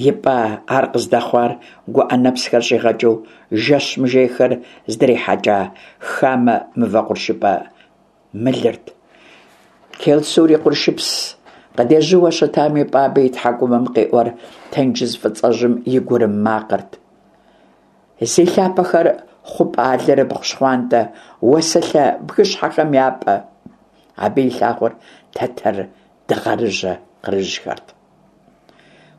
[SPEAKER 1] ипӏа ар къыздэхъуар гуӏэ нэпсхэр щӏигъэкӏыу жэщ мыжейхэр здрихьэкӏа хамэ мывэ къуршыпӏэ мылырт. Келсур и къуршыпс къыдежьууэ щытами, Пӏабэ и тхьэкӏумэм къиӏуэр тенджыз Фӏыцӏэжьым и гурым макъырт. Зи лъапэхэр хъупӏэ алэрыбгъу щхъуантӏэ уэсылъэ бгыщхьэхэм я пӏэ. Абы илъагъур тэтэр дыгъэрыжьэ къырыжьхэрт.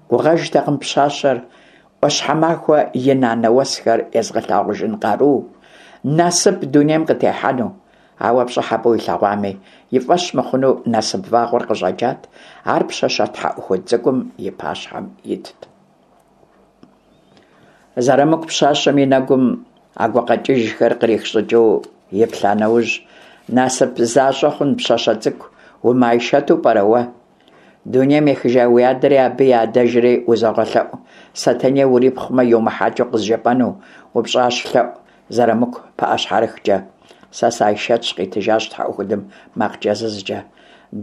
[SPEAKER 1] Гугъэжтэкъым пщащэр ӏуащхьэмахуэ и нанэ уэсхэр езыгъэлъагъужын къару, насып дунейм къытехьэну. Ауэ пщӏыхьэпӏэу илъэгъуами, и фӏэщ мыхъуну насып вагъуэр къыщӏэкӏат, ар пщащэ тхьэӏухуд цӏыкӏум и пащхьэм итт. Зэрамыку пщащэм и нэгум а гукъэкӏыжхэр кърих щӏыкӏэу иплъа нэужь, насып защӏэ хъун пщащэ цӏыкӏу умыАйшэту пӏэрэ уэ? Дунейм ехыжа уи адэри абы и адэжри узогъэлъэӏу, Сэтэней урипхъумэ йумыхьэкӏыу къызжепӏэну, упщӏащ лъэӏу Зэрамыку пыӏэщхьэрыхкӏэ. Сэ сы-Айшэтщ, къитыжащ тхьэӏухудым макъ кӏэзызкӏэ.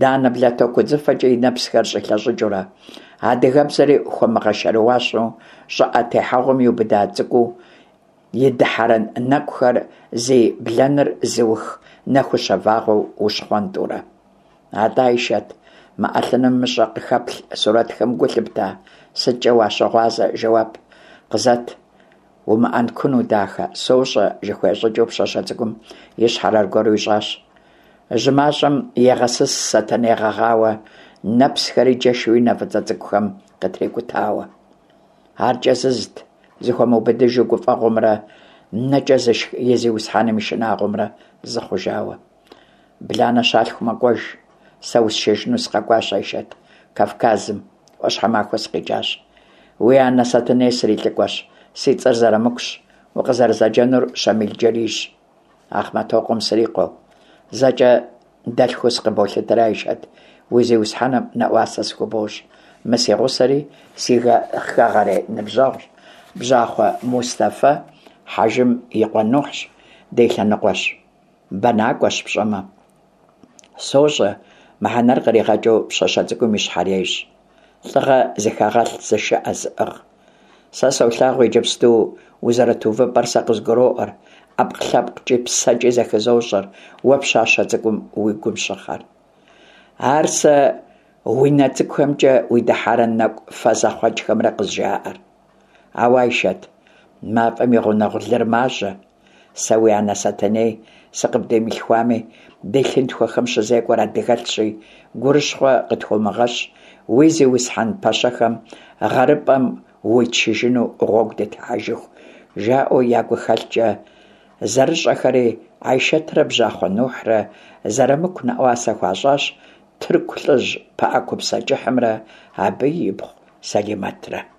[SPEAKER 1] Данэ блатоку удзыфэкӏэ и нэпсхэр щӏилъэщӏыкӏыурэ. Адыгэбзэри хуэмыгъэшэрыуащэу щӏыӏэ техьэгъуэм иубыда цӏыкӏуу и дыхьэрэн нэкӏухэр зи блэныр зыух нэхущэ вагъуэу ущхъуэнтӏурэ. Атӏэ, Айшэт, мы ӏэлъыным мыщӏэ къыхэплъ сурэтхэм гу лъыпта? Сыткӏэ уащыгъуазэ, жэуап къызэт. Умыӏэнкуну, дахэ, сощӏэ, жыхуиӏэ щӏыкӏэу пщащэ цӏыкӏум и щхьэр аргуэру ищӏащ. Жьы мащӏэм егъэсыс Сэтэней гъэгъауэ, нэпсхэри джэшу и нэ фӏыцӏэ цӏыкӏухэм къытрикӏутауэ. Ар кӏэзызт, зыхуэмыубыдыжу гуфӏэгъуэмрэ нэкӏэ зышх и зиусхьэным и шынагъуэмрэ зы хъужауэ. Бланэ щалъху мэкӏуэж, сэ усшэжыну сыкъэкӏуащ, Айшэт, Кавказым, ӏуащхьэмахуэ сыкъикӏащ. Уи анэ Сэтэней срилӏыкӏуэщ, си цӏэр Зэрамыкущ, укъызэрызэджэнур Щамил-Джэрийщ. Ахъмэтокъуэм срикъуэу. Зэкӏэ дэлъхуу сыкъыболъытэри, Айшэт, уи зиусхьэным нэӏуасэ сыхубощӏ. Мы си гъусэри си хэгъэрей ныбжьэгъущ, Бжьахъуэ Мустэфэ Хьэжым и къуэ Нухьщ, ди лъэныкъуэщ. Бэнакӏуэщ пщӏэмэ. Сощӏэ, мыхьэнэр къригъэкӏыу пщащэ цӏыкӏум и щхьэр ещӏ. Лӏыгъэ зыхэгъэлъ, зышыӏэ зыӏыгъ. Сэ солъагъу иджыпсту узэрыт увыпӏэр сэ къызгуроӏуэр, ӏэпкълъэпкъкӏи псэкӏи зэхызощӏэр уэ пщащэ цӏыкӏум уи гум щыхъэр. Ар сэ уи нэ цӏыкӏухэмкӏэ уи дыхьэрэн нэкӏу фэ зэхъуэкӏхэмрэ къызжаӏэр. Ауэ, Айшэт, мафӏэм и гъунэгъу лыр мажьэ. Сэ уи анэ Сэтэней сыкъыбдимылъхуами, ди лъынтхуэхэм щызекӏуэр адыгэлъщи, гурыщхъуэ къытхуомыгъэщӏ, уи зиусхьэн пэщэхэм гъэрыпӏэм уитшыжыну гъуэгу дытехьэжыху, жаӏэу я гухэлъкӏэ зэрыщӏэхэри, Айшэтрэ Бжьахъуэ Нухьрэ Зэрамыку нэӏуасэ хуащӏащ тырку лӏыжь пыӏэкупсэ кӏыхьымрэ абы ипхъу Сэлимэтрэ.